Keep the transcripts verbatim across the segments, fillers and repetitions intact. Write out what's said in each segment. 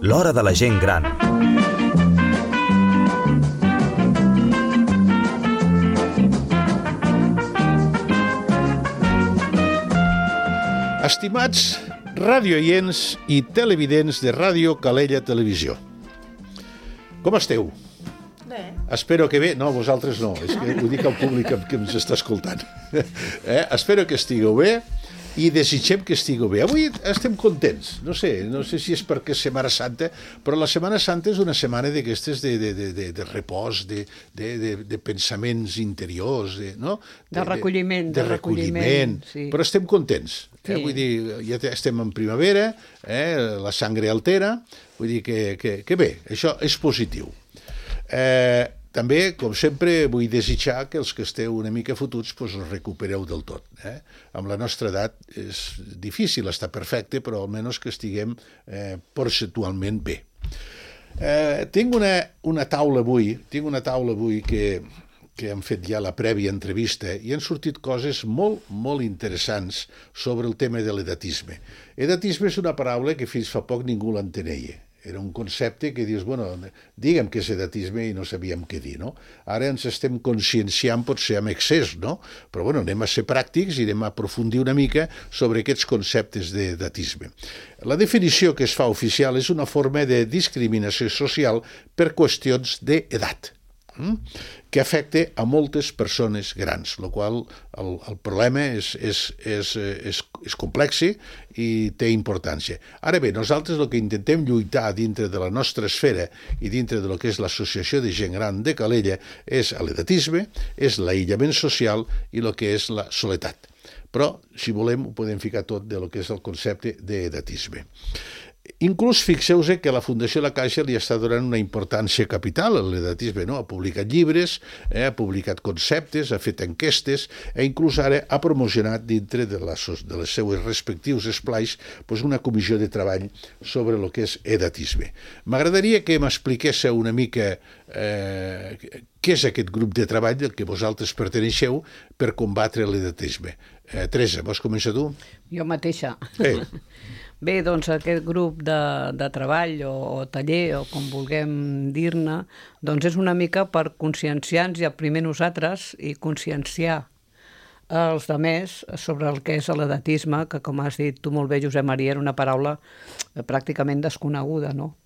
L'hora de la gent gran. Estimats radioients i televidents de Ràdio Calella Televisió. Com esteu? Bé. Espero que bé... No, vosaltres no, és que ho dic al públic que ens està escoltant. Eh? Espero que estigueu bé i desitgem que estigueu bé. Avui estem contents, no sé, no sé si és perquè és Setmana Santa, però la Setmana Santa és una setmana d'aquestes de, de, de, de, de repòs, de, de, de, de pensaments interiors, de, no? De, de recolliment. De, de recolliment, sí. Però estem contents. Eh? Sí. Vull dir, ja estem en primavera, eh? La sangre altera, vull dir que, que, que bé, això és positiu. Eh, també, com sempre, vull desitjar que els que esteu una mica fotuts doncs us recupereu del tot. Eh? Amb la nostra edat és difícil estar perfecte, però almenys que estiguem eh, percentualment bé. Eh, tinc una, una taula avui, tinc una taula avui que, que hem fet ja la prèvia entrevista i han sortit coses molt, molt interessants sobre el tema de l'edatisme. Edatisme és una paraula que fins fa poc ningú l'enteneia. Era un concepte que dius, bueno, digue'm què és edatisme i no sabíem què dir, no? Ara ens estem conscienciant potser amb excés, no? Però, bueno, anem a ser pràctics i anem a aprofundir una mica sobre aquests conceptes d'edatisme. La definició que es fa oficial és una forma de discriminació social per qüestions d'edat, que afecta a moltes persones grans, el qual el, el problema és, és, és, és, és complex i té importància. Ara bé, nosaltres el que intentem lluitar dintre de la nostra esfera i dintre de lo que és l'Associació de Gent Gran de Calella és l'edatisme, és l'aïllament social i el que és la soledat. Però, si volem, ho podem ficar tot de lo que és el concepte d'edatisme. Inclús fixeu-vos que la Fundació La Caixa li està donant una importància capital a l'edatisme, no? Ha publicat llibres, eh, ha publicat conceptes, ha fet enquestes, i inclús ara ha promocionat dintre de, la, de les seues respectius esplais doncs una comissió de treball sobre el que és edatisme. M'agradaria que m'expliquéssiu una mica eh, què és aquest grup de treball del que vosaltres perteneixeu per combatre l'edatisme. Eh, Teresa, vols començar tu? Jo mateixa. Eh. Bé, doncs aquest grup de, de treball o, o taller, o com vulguem dir-ne, doncs és una mica per conscienciar-nos ja primer nosaltres i conscienciar els altres sobre el que és l'edatisme, que com has dit tu molt bé, Josep Maria, era una paraula pràcticament desconeguda, no?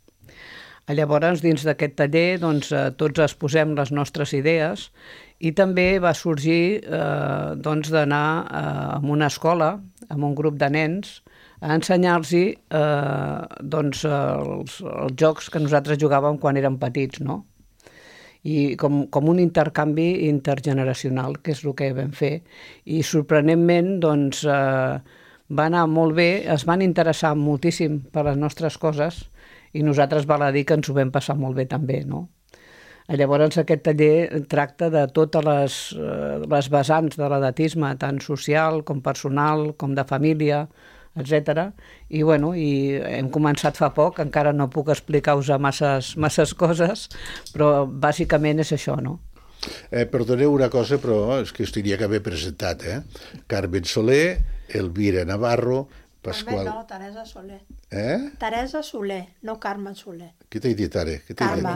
Llavors, dins d'aquest taller, doncs, tots exposem les nostres idees i també va sorgir eh, doncs, d'anar eh, a una escola, amb un grup de nens, a ensenyar-los eh, doncs, els, els jocs que nosaltres jugàvem quan érem petits, no? I com, com un intercanvi intergeneracional, que és el que vam fer. I sorprenentment, doncs, eh, va anar molt bé, es van interessar moltíssim per les nostres coses i nosaltres val a dir que ens ho vam passar molt bé també, no? Llavors aquest taller tracta de totes les, les vessants de l'edatisme, tant social com personal, com de família, etcètera. I, bueno, i hem començat fa poc, encara no puc explicar-vos masses, masses coses, però bàsicament és això, no? Eh, perdoneu una cosa, però és que us tenia que haver presentat, eh? Carmen Soler, Elvira Navarro, Pasqual... No, Teresa Soler. Eh? Teresa Soler, no Carme Soler. Què t'he dit ara? Carme.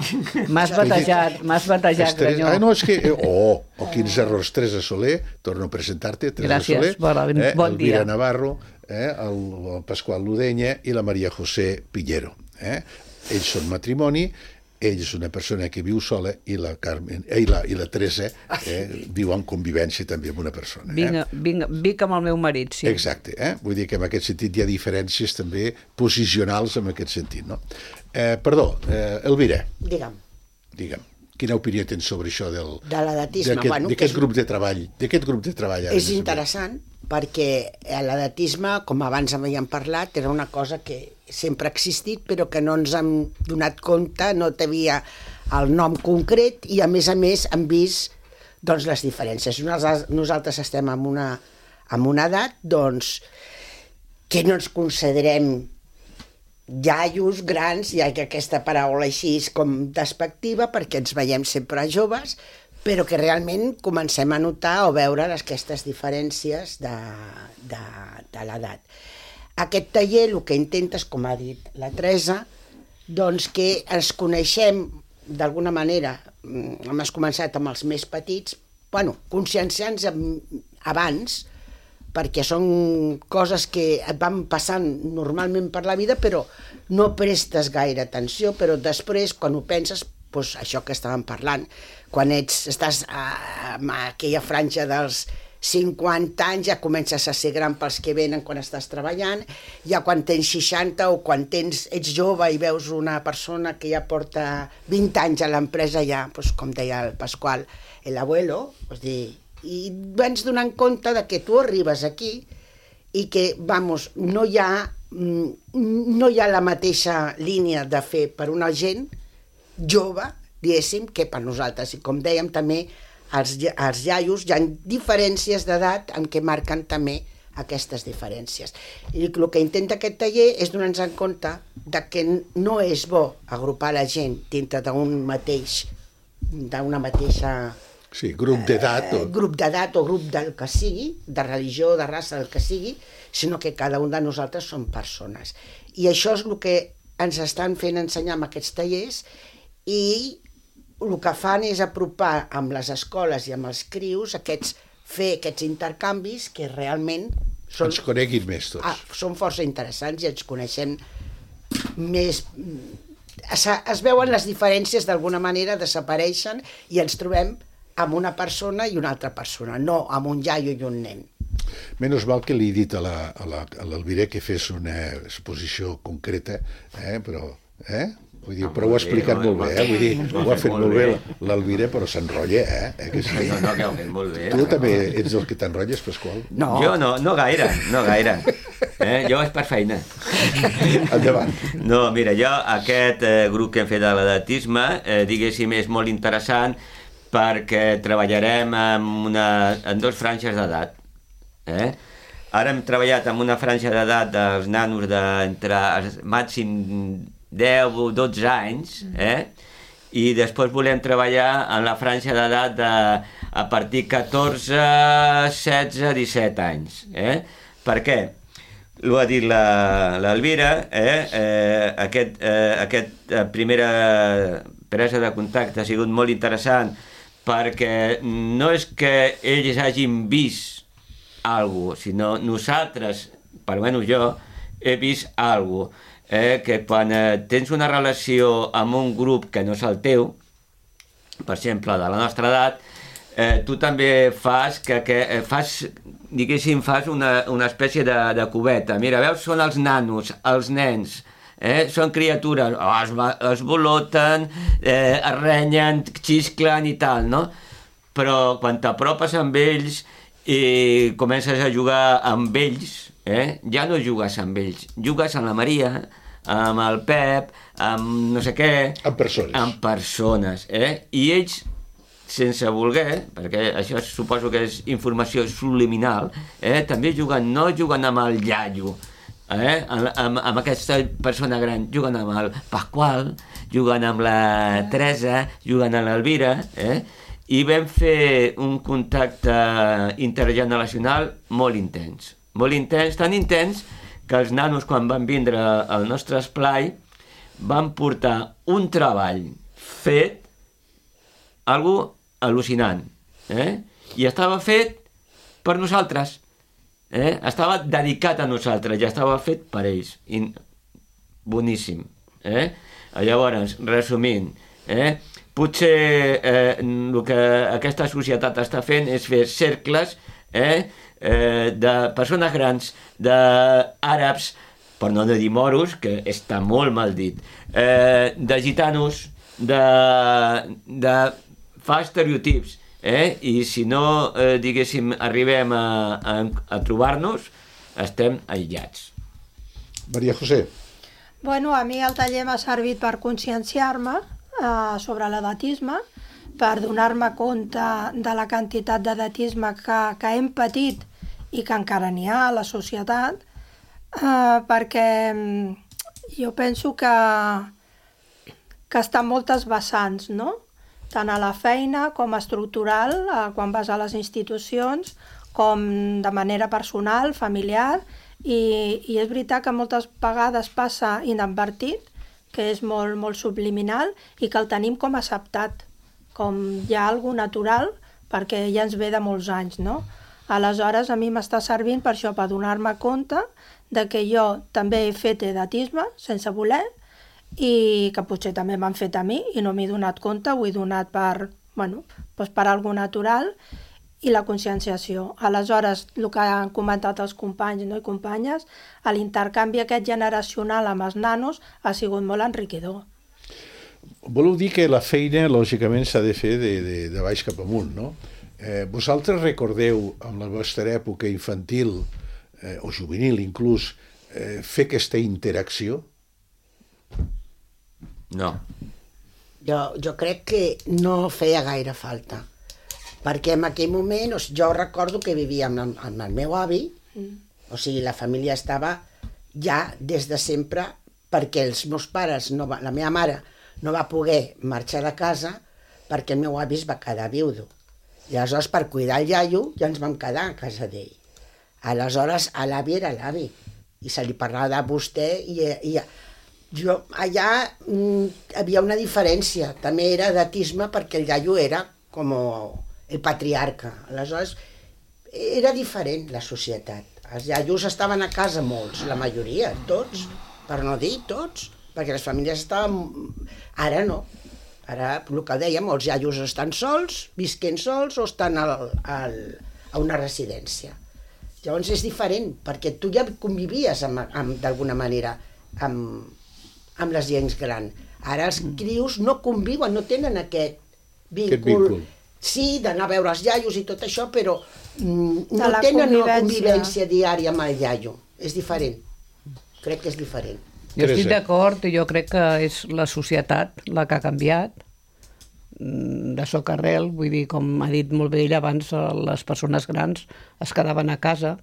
M'has batejat, m'has batejat, Granyó. Ah, no, és que... Oh, oh, quins errors. Teresa Soler, torno a presentar-te, Teresa Gràcies, Soler. Bona, eh, bon dia. Elvira Navarro, eh, el, el Pasqual Ludenya i la Maria José Piñero. Eh? Ells són matrimoni, ell és una persona que viu sola i la Carmen eh, i, la, i la Teresa eh, viu en convivència també amb una persona. Eh? Vinc, vinc, vinc amb el meu marit, sí. Exacte, eh? Vull dir que en aquest sentit hi ha diferències també posicionals en aquest sentit, no? Eh, perdó, eh, Elvira. Digue'm. Digue'm. Quina opinió tens sobre això del... De l'edatisme. D'aquest Bueno, és... grup és... de treball. D'aquest grup de treball. És interessant, perquè l'edatisme, com abans havíem parlat, era una cosa que sempre ha existit, però que no ens hem donat compte, no tenia el nom concret, i a més a més hem vist doncs, les diferències. Nosaltres estem en una, en una edat doncs, que no ens considerem iaios grans, ja que aquesta paraula així és com despectiva, perquè ens veiem sempre joves, però que realment comencem a notar o veure aquestes diferències de, de, de l'edat. Aquest taller el que intentes, com ha dit la Teresa, doncs que ens coneixem d'alguna manera, hem començat amb els més petits, bueno, conscienciants abans, perquè són coses que et van passant normalment per la vida, però no prestes gaire atenció, però després, quan ho penses, doncs això que estàvem parlant, quan ets, estàs a, a aquella franja dels cinquanta anys, ja comences a ser gran pels que venen quan estàs treballant, ja quan tens seixanta o quan tens, ets jove i veus una persona que ja porta vint anys a l'empresa, ja, doncs, com deia el Pasqual, l'abuelo, és dir, i vens donant compte de que tu arribes aquí i que, vamos, no hi ha, no hi ha la mateixa línia de fer per una gent jove, diguéssim, que per nosaltres. I com dèiem també, els, els iaios hi ha diferències d'edat en què marquen també aquestes diferències. I el que intenta aquest taller és donar-nos en compte de que no és bo agrupar la gent dintre d'un mateix, d'una mateixa... Sí, grup d'edat. O... Eh, grup d'edat o grup del que sigui, de religió, de raça, del que sigui, sinó que cada un de nosaltres som persones. I això és el que ens estan fent ensenyar amb aquests tallers, i el que fan és apropar amb les escoles i amb els crius aquests, fer aquests intercanvis que realment són, ens coneguin més tots. Ah, són força interessants i ens coneixem més... Es, es veuen les diferències d'alguna manera, desapareixen i ens trobem amb una persona i una altra persona, no amb un iaio i un nen. Menys mal que li he dit a l'Albiré que fes una exposició concreta, eh? Però... Eh? Vull dir, però ho ha explicat molt bé, eh? Vull dir, ho ha fet molt bé l'Albiré, però s'enrotlla, eh? eh que sí? No, no, que ho ha fet molt bé. Tu també ets el que t'enrotlles, Pasqual? No. Jo no, no gaire, no gaire. Eh? Jo és per feina. Endavant. No, mira, jo aquest eh, grup que hem fet de l'edatisme, eh, diguéssim, és molt interessant perquè treballarem en, una, en dos franges d'edat. Eh? Ara hem treballat amb una franja d'edat dels nanos d'entre màxim deu o dotze anys, eh? I després volem treballar en la franja d'edat de, a partir de catorze, setze, disset anys. Eh? Per què? L'ho ha dit l'Elvira, eh? eh, aquest, eh, aquest eh, primera presa de contacte ha sigut molt interessant perquè no és que ells hagin vist alguna cosa, sinó nosaltres, per almenys jo, he vist alguna cosa. Eh, que quan eh, tens una relació amb un grup que no és el teu, per exemple, de la nostra edat, eh, tu també fas, que, que eh, fas, diguéssim, fas una, una espècie de, de cubeta. Mira, veus, són els nanos, els nens, eh, són criatures, oh, es, es voloten, eh, es renyen, xisclen i tal, no? Però quan t'apropes amb ells i comences a jugar amb ells, Eh? ja no jugues amb ells, jugues amb la Maria, amb el Pep, amb no sé què... Amb persones. Amb persones, eh? I ells, sense voler, perquè això suposo que és informació subliminal, eh? també juguen, no juguen amb el iaio, eh? amb, amb, amb aquesta persona gran, juguen amb el Pasqual, juguen amb la Teresa, juguen amb l'Elvira, eh? I vam fer un contacte intergeneracional molt intens. molt intens, tan intens que els nanos quan van vindre al nostre esplai van portar un treball fet, algo al·lucinant, eh? I estava fet per nosaltres, eh? Estava dedicat a nosaltres, ja estava fet per ells, i boníssim, eh? Llavors, resumint, eh? potser eh, el que aquesta societat està fent és fer cercles, eh? Eh, de persones grans, d'àrabs, per no dir moros, que està molt mal dit, eh, de gitanos, de, de... fa estereotips, eh? I si no, eh, diguéssim, arribem a, a, a trobar-nos, estem aïllats. Maria José. Bueno, a mi el taller m'ha servit per conscienciar-me eh, sobre l'edatisme, per donar-me compte de la quantitat d'edatisme que, que hem patit i que encara n'hi ha a la societat, eh, perquè jo penso que, que està en moltes vessants, no? tant a la feina com estructural, eh, quan vas a les institucions, com de manera personal, familiar, i, i és veritat que moltes vegades passa inadvertit, que és molt, molt subliminal, i que el tenim com acceptat, com ja algo natural, perquè ja ens ve de molts anys, no? Aleshores, a mi m'està servint per això, per donar-me compte de que jo també he fet edatisme, sense voler, i que potser també m'han fet a mi, i no m'he donat compte, ho he donat per, bueno, doncs per algo natural, i la conscienciació. Aleshores, el que han comentat els companys, no, i companyes, l'intercanvi aquest generacional amb els nanos ha sigut molt enriquidor. Voleu dir que la feina, lògicament, s'ha de fer de, de, de baix cap amunt, no? Eh, vosaltres recordeu, en la vostra època infantil, eh, o juvenil inclús, eh, fer aquesta interacció? No. Jo, jo crec que no feia gaire falta, perquè en aquell moment, o sigui, jo recordo que vivia amb, amb el meu avi, mm. o sigui, la família estava ja des de sempre, perquè els meus pares, no va, la meva mare, no va poder marxar de casa perquè el meu avi es va quedar viudo. I aleshores, per cuidar el iaio, ja ens vam quedar a casa d'ell. Aleshores, a l'avi era l'avi, i se li parlava de vostè, i, i jo, allà mm, havia una diferència, també era edatisme perquè el iaio era com el patriarca. Aleshores, era diferent la societat. Els iaios estaven a casa molts, la majoria, tots, per no dir tots, perquè les famílies estaven... Ara no. Ara, el que dèiem, els iaios estan sols, visquent sols, o estan al, al, a una residència. Llavors és diferent, perquè tu ja convivies amb, amb, d'alguna manera amb, amb les gens grans. Ara els crios no conviuen, no tenen aquest víncul. Aquest víncul. Sí, d'anar a veure els iaios i tot això, però mm, no tenen una convivència diària amb el iaio. És diferent. Crec que és diferent. Jo estic d'acord, i jo crec que és la societat la que ha canviat de socarrel, vull dir, com ha dit molt bé ell abans, les persones grans es quedaven a casa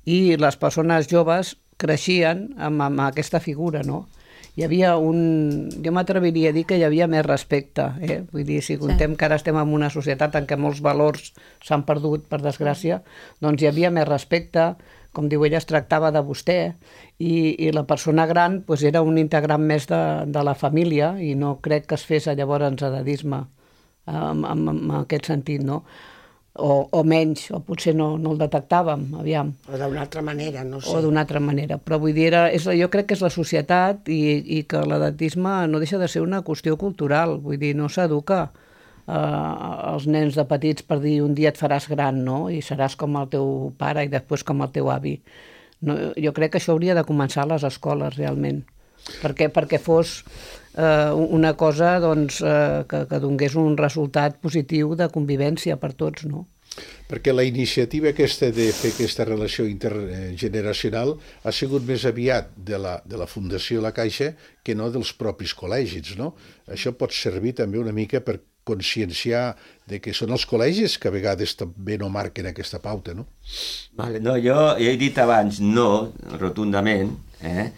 i les persones joves creixien amb, amb aquesta figura, no? Hi havia un... Jo m'atreviria a dir que hi havia més respecte, eh? Vull dir, si contem que ara estem en una societat en què molts valors s'han perdut, per desgràcia, doncs hi havia més respecte, com diu ella, es tractava de vostè, i, i la persona gran doncs, era un integrant més de, de la família, i no crec que es fes llavors edadisme en, en, en aquest sentit, no? O, o menys, o potser no, no el detectàvem, aviam. O d'una altra manera, no sé. O d'una altra manera, però vull dir, era, és, jo crec que és la societat i, i que l'edatisme no deixa de ser una qüestió cultural, vull dir, no s'educa Uh, els nens de petits per dir un dia et faràs gran, no? I seràs com el teu pare i després com el teu avi. No, jo crec que això hauria de començar a les escoles, realment, perquè, perquè fos uh, una cosa doncs, uh, que, que donés un resultat positiu de convivència per tots, no? Perquè la iniciativa aquesta de fer aquesta relació intergeneracional ha sigut més aviat de la, de la Fundació La Caixa que no dels propis col·legis, no? Això pot servir també una mica per conscienciar de que són els col·legis que a vegades també no marquen aquesta pauta, no? Vale, no, jo he dit abans no, rotundament, eh?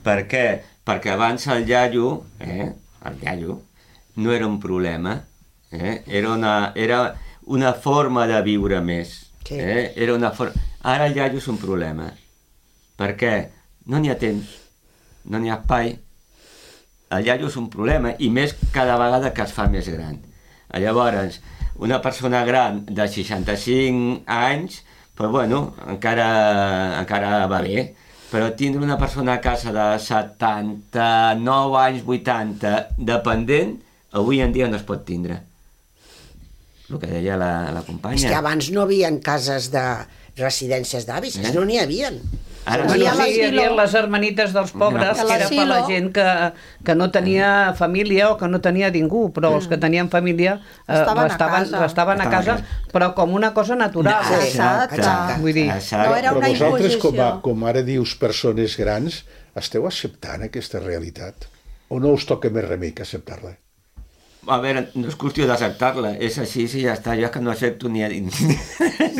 Per què? Perquè abans el iaio, eh? el iaio, no era un problema, eh? era, una, era una forma de viure més. Sí. Eh? Era una for... Ara el iaio és un problema. Per què? No n'hi ha temps, no n'hi ha espai. El iaio és un problema, i més cada vegada que es fa més gran. Llavors, una persona gran de seixanta-cinc anys, pues bueno, encara, encara va bé, però tindre una persona a casa de setanta-nou anys, vuitanta, dependent, avui en dia no es pot tindre. El que deia la, la companya. És que abans no hi havia cases de residències d'avis, eh? No n'hi havia. Ara no, sí, hi havia les hermanites dels pobres, no, que era per la gent que, que no tenia família o que no tenia ningú, però els que tenien família eh, estaven, estaven, a casa. estaven a casa, però com una cosa natural. No, exacte, exacte. Vull dir, no era una però vosaltres, imposició. com, a, com ara dius persones grans, esteu acceptant aquesta realitat? O no us toca més remei que acceptar-la? A veure, no és qüestió d'acceptar-la, és així, sí, ja està, jo és que no accepto ni a dins.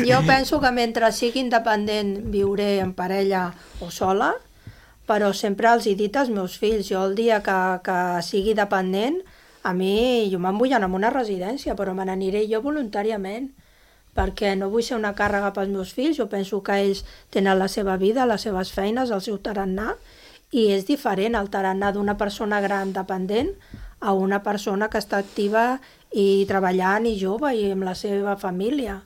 Jo penso que mentre sigui independent viuré en parella o sola, però sempre els he dit als meus fills, jo el dia que, que sigui dependent A mi, jo me'n vull anar a una residència, però me n'aniré jo voluntàriament, perquè no vull ser una càrrega pels meus fills. Jo penso que ells tenen la seva vida, les seves feines, el seu tarannà, i és diferent el tarannà d'una persona gran dependent a una persona que està activa i treballant i jove i amb la seva família.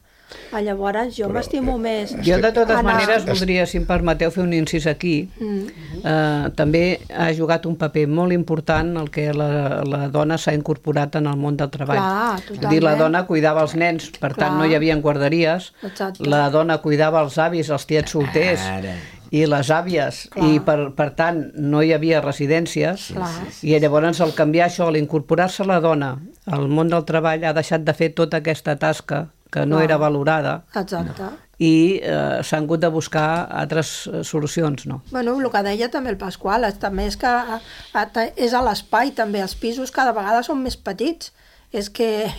Llavors jo m'estimo més. Jo de totes anar... maneres voldria, si em permeteu, fer un incís aquí. Mm. Eh, també ha jugat un paper molt important el que la, la dona s'ha incorporat en el món del treball. Clar, totalment. Dir, la dona cuidava els nens, per Clar. tant no hi havia guarderies. Exacte. La dona cuidava els avis, els tiets solters. Ara. I les àvies, Clar. i per, per tant no hi havia residències, Clar. i llavors al canviar això, al incorporar-se la dona al món del treball, ha deixat de fer tota aquesta tasca que no Clar. era valorada. Exacte. I eh, s'han hagut de buscar altres eh, solucions, no? Bueno, el que deia també el Pasqual, és, també és que a, a, és a l'espai també, els pisos cada vegada són més petits. És que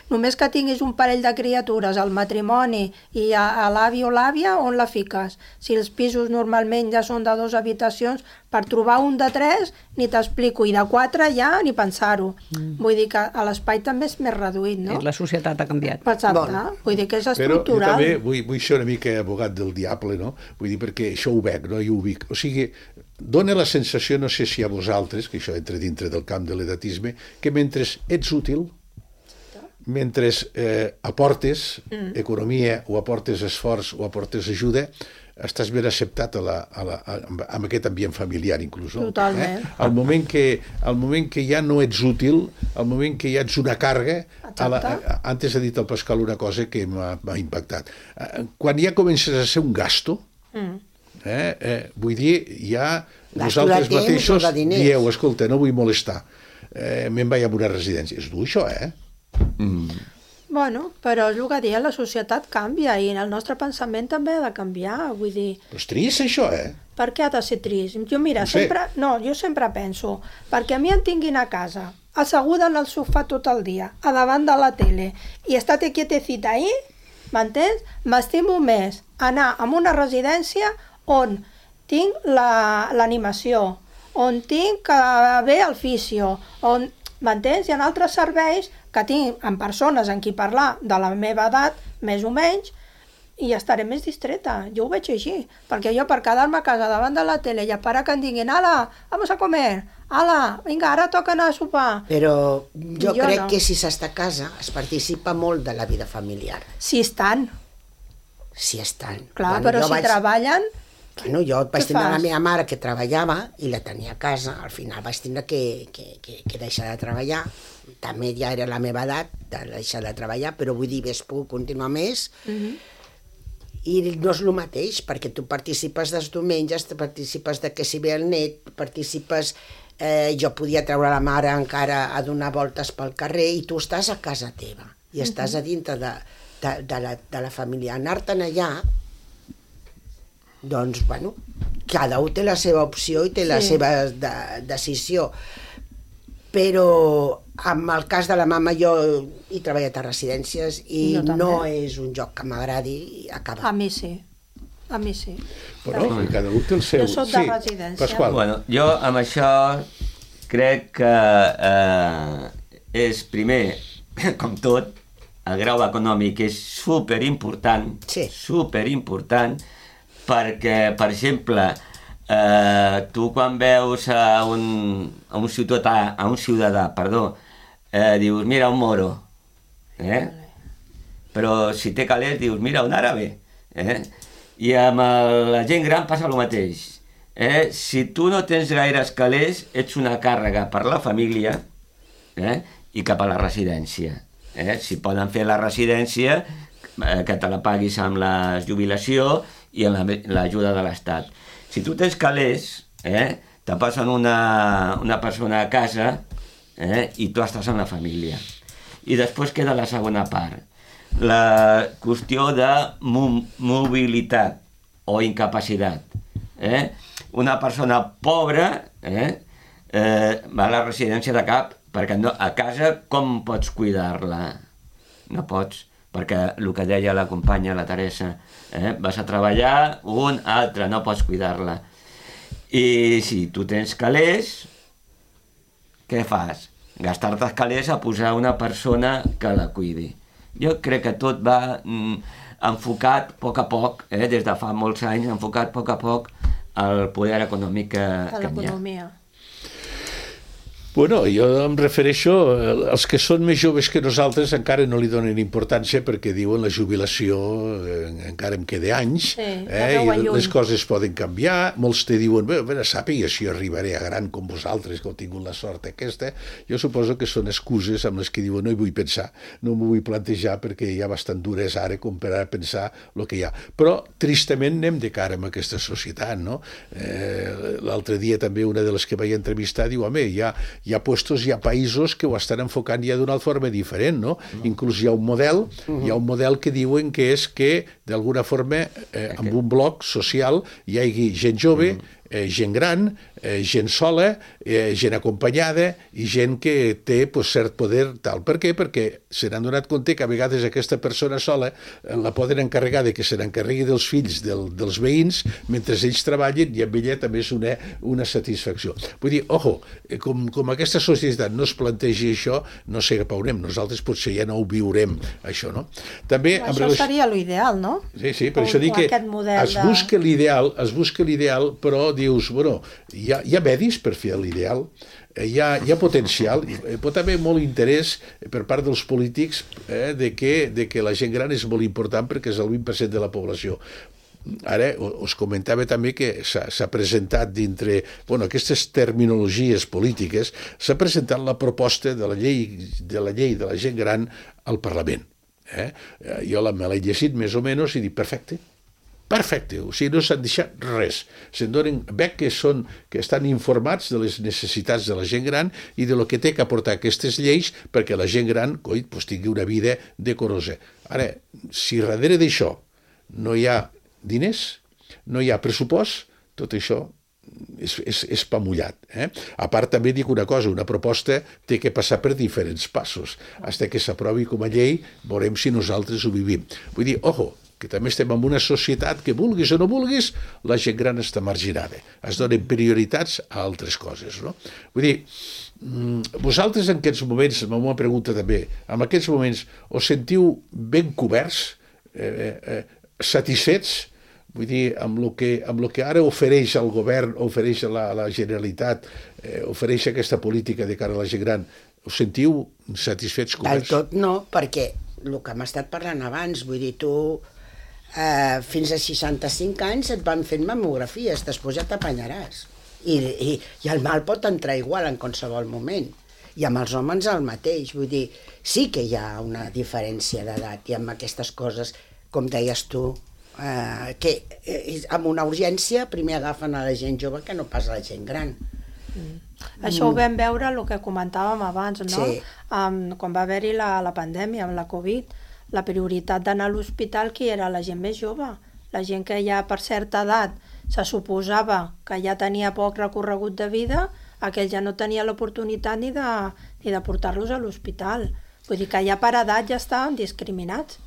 només que tinguis un parell de criatures al matrimoni i a, a l'avi o l'àvia, on la fiques? Si els pisos normalment ja són de dues habitacions, per trobar un de tres ni t'explico, i de quatre ja ni pensar-ho. Mm. Vull dir que a l'espai també és més reduït, no? La societat ha canviat. Exacte, bon. Vull dir que és estructural. Però jo també vull, vull ser una mica abogat del diable, no? Vull dir, perquè això ho veig, no? Jo ho vic. O sigui, dona la sensació, no sé si a vosaltres, que això entra dintre del camp de l'edatisme, que mentre ets útil, mentre eh, aportes mm. economia o aportes esforç o aportes ajuda, estàs ben acceptat a la, a la, a, amb aquest ambient familiar inclús. No? Totalment. Eh? Al, moment que, al moment que ja no ets útil, al moment que ja ets una càrrega, a la, a, antes ha dit el Pascal una cosa que m'ha impactat. Quan ja comences a ser un gasto, mm. eh, eh, vull dir, ja gasto vosaltres temps, mateixos dieu, escolta, no vull molestar, eh, me'n vaig a una residència. És dur això, eh? Mm. Bueno, però és el que deia, la societat canvia i el nostre pensament també ha de canviar, vull dir... Però és trist això, eh? Per què ha de ser trist? Jo mira, no sé. sempre, no, jo sempre penso, perquè a mi em tinguin a casa, asseguda en el sofà tot el dia, a davant de la tele, i estate quietecita ahí, m'entens? M'estimo més anar a una residència on tinc l'animació, la, on tinc que ve el fisio, on... M'entens? Hi ha altres serveis que tinc amb persones en qui parlar de la meva edat, més o menys, i estaré més distreta. Jo ho veig així, perquè jo per quedar-me a casa davant de la tele i a parar que em diguin «Ala, vamos a comer! Ala, vinga, ara toca anar a sopar!» Però jo, jo crec no. que si s'està a casa es participa molt de la vida familiar. Si estan. Si estan. Clar, bueno, però si vaig... treballen... Bueno, jo vaig tenir la meva mare que treballava i la tenia a casa, al final vaig tindre que, que, que, que deixar de treballar, també ja era la meva edat de deixar de treballar, però vull dir, ves puc continuar més, uh-huh. i no és el mateix, perquè tu participes dels diumenges, participes de que si ve el net, participes, eh, jo podia treure la mare encara a donar voltes pel carrer, i tu estàs a casa teva, i uh-huh. estàs a dintre de, de, de, la, de la família. Anar-te'n allà, doncs, bueno, cada un té la seva opció i té sí. la seva de, decisió. Però en el cas de la mama jo he treballat a residències i no, no és un joc que m'agradi acabar. A mi sí, a mi sí. Però sí. cada un té el seu. Jo soc de sí. residència. Pasqual. Bueno, jo amb això crec que eh, és primer, com tot, el grau econòmic és superimportant, sí. superimportant, perquè, per exemple, eh, tu quan veus a un, a un ciutadà, a un ciutadà, perdó, eh, dius, mira, un moro, eh? Però si té calés, dius, mira, un àrabe, eh? I amb el, la gent gran passa el mateix, eh? Si tu no tens gaires calés, ets una càrrega per la família, eh? I cap a la residència, eh? Si poden fer la residència, eh, que te la paguis amb la jubilació, i amb l'ajuda de l'Estat. Si tu tens calés, eh, te passen una, una persona a casa eh, i tu estàs en la família. I després queda la segona part, la qüestió de mo mobilitat o incapacitat. Eh? Una persona pobra eh, eh, va a la residència de cap perquè no, a casa com pots cuidar-la? No pots. Perquè el que deia la companya, la Teresa, eh? vas a treballar, un, altre, no pots cuidar-la. I si tu tens calés, què fas? gastar-te els calés a posar una persona que la cuidi. Jo crec que tot va mm, enfocat a poc a poc, eh, des de fa molts anys, enfocat a poc a poc al poder econòmic que, que hi ha. Bueno, jo em refereixo als que són més joves que nosaltres encara no li donen importància perquè diuen la jubilació eh, encara em queda anys, sí, eh, i les coses poden canviar. Molts te diuen, bé, bé, sàpiga si jo arribaré a gran com vosaltres, que heu tingut la sort aquesta. Jo suposo que són excuses amb les que diuen no hi vull pensar, no m'ho vull plantejar perquè hi ha bastant dures ara com per a pensar el que hi ha. Però tristament anem de cara amb aquesta societat, no? Eh, l'altre dia també una de les que vaig entrevistar diu, home, hi ha hi ha puestos, hi ha països que ho estan enfocant ja d'una altra forma diferent, no? Mm. Inclús hi ha un model, mm-hmm. hi ha un model que diuen que és que, d'alguna forma, eh, amb un bloc social hi hagi gent jove, mm. eh, gent gran, eh, gent sola, eh, gent acompanyada i gent que té pues, cert poder tal. Per què? Perquè se n'han donat compte que a vegades aquesta persona sola eh, la poden encarregar de que se n'encarregui dels fills del, dels veïns mentre ells treballen i amb ella també és una, una satisfacció. Vull dir, ojo, com, com aquesta societat no es plantegi això, no sé cap on anem. Nosaltres potser ja no ho viurem, això, no? També, això relació... seria l'ideal, no? Sí, sí, per o, això dic que es busca de... l'ideal, es busca l'ideal, però dius, bueno, hi ha, hi ha medis per fer l'ideal, hi ha, hi ha potencial, hi pot haver molt interès per part dels polítics eh, de, que, de que la gent gran és molt important perquè és el vint per cent de la població. Ara us comentava també que s'ha presentat dintre, bueno, aquestes terminologies polítiques, s'ha presentat la proposta de la llei de la llei de la gent gran al Parlament. Eh? Jo la, me l'he llegit més o menys i dic, perfecte, perfecte, o sigui, no s'han deixat res. Se'n donen, veig que, són, que estan informats de les necessitats de la gent gran i de lo que té que aportar aquestes lleis perquè la gent gran, coi, pues, tingui una vida decorosa. Ara, si darrere d'això no hi ha diners, no hi ha pressupost, tot això és, és, és pa mullat. Eh? A part, també dic una cosa, una proposta té que passar per diferents passos. Fins que s'aprovi com a llei, veurem si nosaltres ho vivim. Vull dir, ojo, que també estem en una societat que, vulguis o no vulguis, la gent gran està marginada. Es donen prioritats a altres coses. No? Vull dir, vosaltres en aquests moments, m'ho pregunta també, en aquests moments us sentiu ben coberts, eh, eh, satisfets, vull dir, amb el que, amb el que ara ofereix el govern, ofereix la, la Generalitat, eh, ofereix aquesta política de cara a la gent gran, us sentiu satisfets, coberts? Del tot no, perquè el que hem estat parlant abans, vull dir, tu eh, fins a seixanta-cinc anys et van fent mamografies, després ja t'apanyaràs. I, i, I el mal pot entrar igual en qualsevol moment. I amb els homes el mateix, vull dir, sí que hi ha una diferència d'edat i amb aquestes coses, com deies tu, eh, que eh, amb una urgència primer agafen a la gent jove que no pas a la gent gran. Mm. Això ho vam veure, el que comentàvem abans, no? Sí. Um, quan va haver-hi la, la pandèmia, amb la Covid, la prioritat d'anar a l'hospital qui era la gent més jove, la gent que ja per certa edat se suposava que ja tenia poc recorregut de vida, aquell ja no tenia l'oportunitat ni de, ni de portar-los a l'hospital. Vull dir que ja per edat ja estaven discriminats.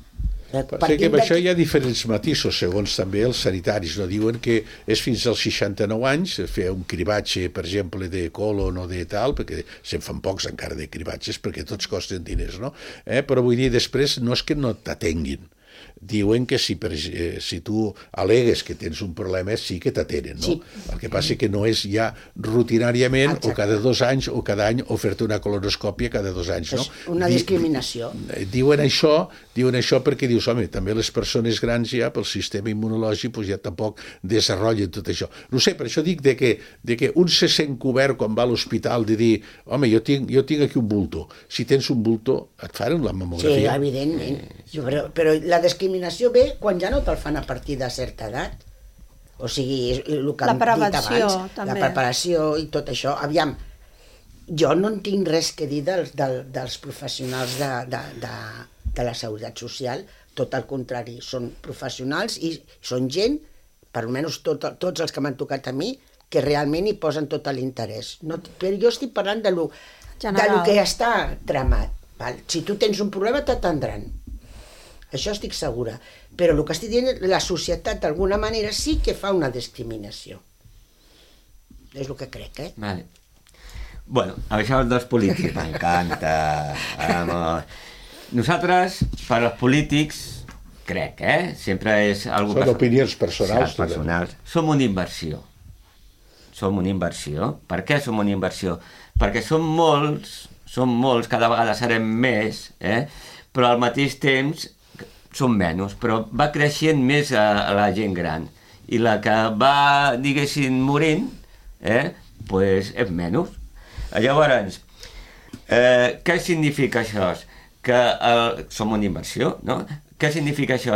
Perquè que amb això hi ha diferents matisos, segons també els sanitaris. No? Diuen que és fins als seixanta-nou anys fer un cribatge, per exemple, de colon o de tal, perquè se'n fan pocs encara de cribatges, perquè tots costen diners, no? Eh? Però vull dir, després no és que no t'atenguin. Diuen que si, per, eh, si tu al·legues que tens un problema sí que t'atenen, no? Sí. El que passa que no és ja rutinàriament Exacte. o cada dos anys o cada any o fer-te una colonoscòpia cada dos anys, no? És una discriminació. Diuen això, diuen això perquè dius, home, també les persones grans ja pel sistema immunològic pues, ja tampoc desenvolupen tot això. No sé, per això dic de que, de que un se sent cobert quan va a l'hospital de dir, home, jo tinc, jo tinc aquí un bulto. Si tens un bulto, et faran la mamografia. Sí, evidentment. Jo, però, però la discriminació ve quan ja no te'l fan a partir de certa edat. O sigui, el que hem dit abans, també. La preparació i tot això. Aviam, jo no en tinc res que dir dels, dels professionals de, de, de, de la seguretat social, tot el contrari, són professionals i són gent, per almenys tot, tots els que m'han tocat a mi, que realment hi posen tot l'interès. No, però jo estic parlant de lo, de lo que està tramat. Val? Si tu tens un problema, t'atendran. Això estic segura. Però el que estic dient, la societat d'alguna manera sí que fa una discriminació. És el que crec, eh? Vale. Bueno, això dels polítics m'encanta. Vamos. Nosaltres, per als polítics, crec, eh? Sempre és algo Són opinions personals. Sí, personals. Som una inversió. Som una inversió. Per què som una inversió? Perquè som molts, som molts, cada vegada serem més, eh? Però al mateix temps som menys, però va creixent més a, a la gent gran. I la que va, diguéssim, morint, eh? Pues és menys. Llavors, eh, què significa això? Que el, som una inversió, no? Què significa això?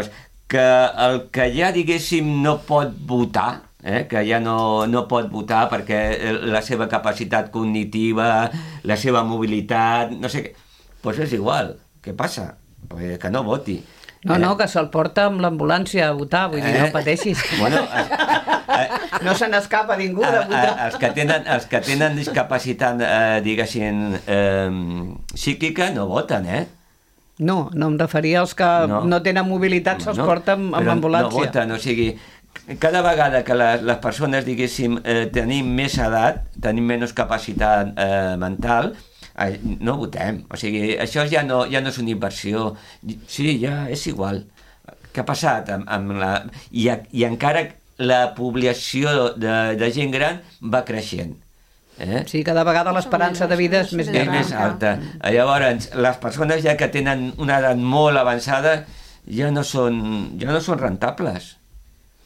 Que el que ja, diguéssim, no pot votar, eh? Que ja no, no pot votar perquè la seva capacitat cognitiva, la seva mobilitat, no sé què, doncs és igual. Què passa? Pues que no voti. No, no, que se'l porta amb l'ambulància a votar, vull dir, no pateixis. Bueno, eh, no se n'escapa ningú de votar. Els que tenen, els que tenen discapacitat, eh, diguéssim, eh, psíquica, no voten, eh? No, no em referia als que no, no tenen mobilitat, se'ls no, porta amb, amb ambulància. No voten, o sigui, cada vegada que les, les persones, diguéssim, eh, tenim més edat, tenim menys capacitat eh, mental, no votem, o sigui, això ja no, ja no és una inversió, sí, ja és igual. Què ha passat amb, amb la... I, i encara la població de, de gent gran va creixent. Eh? Sí, cada vegada l'esperança de vida és més és gran. més alta. Llavors, les persones ja que tenen una edat molt avançada ja no són, ja no són rentables.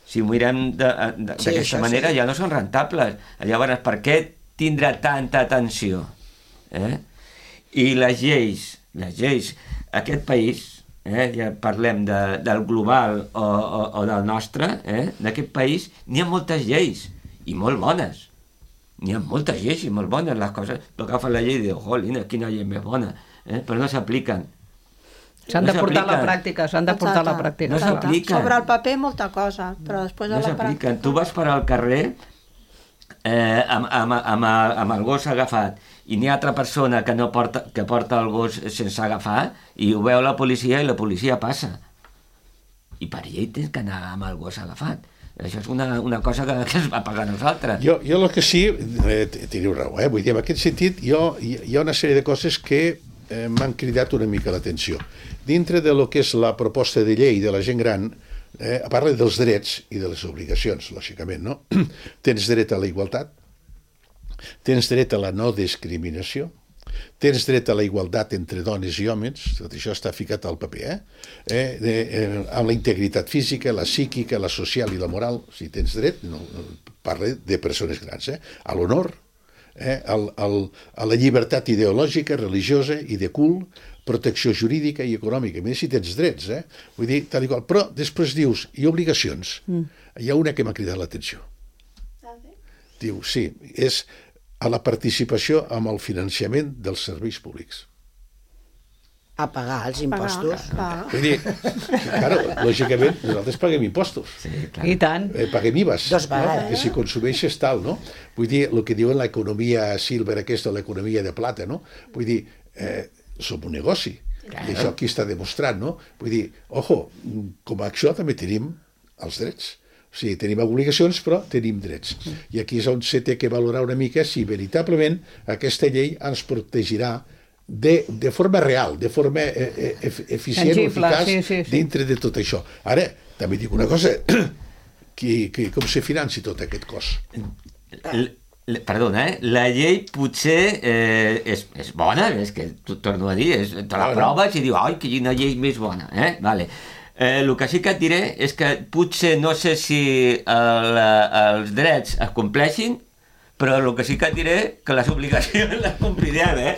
Si ho mirem d'aquesta sí, manera, sí. Ja no són rentables. Llavors, per què tindrà tanta atenció? Eh? I les lleis, les lleis, aquest país, eh, ja parlem de, del global o, o, o del nostre, eh, d'aquest país, n'hi ha moltes lleis, i molt bones. N'hi ha moltes lleis i molt bones, les coses, agafen la llei i diuen, jolina, quina llei més bona, eh, però no s'apliquen. S'han de portar a la pràctica, s'han de portar a la pràctica. No s'apliquen. Sobre el paper molta cosa, però després no a la pràctica... Tu vas per al carrer eh, amb, amb, amb, el, amb el gos agafat i n'hi ha altra persona que, no porta, que porta el gos sense agafar i ho veu la policia i la policia passa. I per llei tens que anar amb el gos agafat. Això és una, una cosa que, que es va pagar a nosaltres. Jo, jo el que sí, eh, teniu raó, eh? Vull dir, en aquest sentit jo, hi ha una sèrie de coses que eh, m'han cridat una mica l'atenció. Dintre de lo que és la proposta de llei de la gent gran, eh, parla dels drets i de les obligacions, lògicament, no? Tens dret a la igualtat, tens dret a la no discriminació, tens dret a la igualtat entre dones i homes, tot això està ficat al paper, eh? eh, de, eh amb la integritat física, la psíquica, la social i la moral, si tens dret, no, parla de persones grans, eh? A l'honor, eh? al, al, a la llibertat ideològica, religiosa i de cul, protecció jurídica i econòmica. A més, si tens drets, eh? Vull dir, tal i qual. Però després dius, i obligacions? Mm. Hi ha una que m'ha cridat l'atenció. Diu, sí, és a la participació amb el finançament dels serveis públics. A pagar els impostos. Pagar. Vull dir, claro, lògicament, nosaltres paguem impostos. Sí, clar. I tant. Eh, paguem I V As. Dos vegades. Que si consumeixes tal, no? Vull dir, el que diuen l'economia silver aquesta, l'economia de plata, no? Vull dir, eh, som un negoci. Claro. I això aquí està demostrat, no? Vull dir, ojo, com a acció també tenim els drets. O sigui, tenim obligacions, però tenim drets. I aquí és on se té que valorar una mica si veritablement aquesta llei ens protegirà de, de forma real, de forma eh, eficient o eficaç sí, sí, sí. dintre de tot això. Ara, també dic una cosa, que, que com se financi tot aquest cos? L Perdona, eh? La llei potser eh, és, és bona, és que t'ho torno a dir, és, te la proves i dius, ai, quina llei més bona, eh? Vale. Eh, el que sí que et diré és que potser no sé si el, els drets es compleixin, però el que sí que et diré que les obligacions les complirem, eh?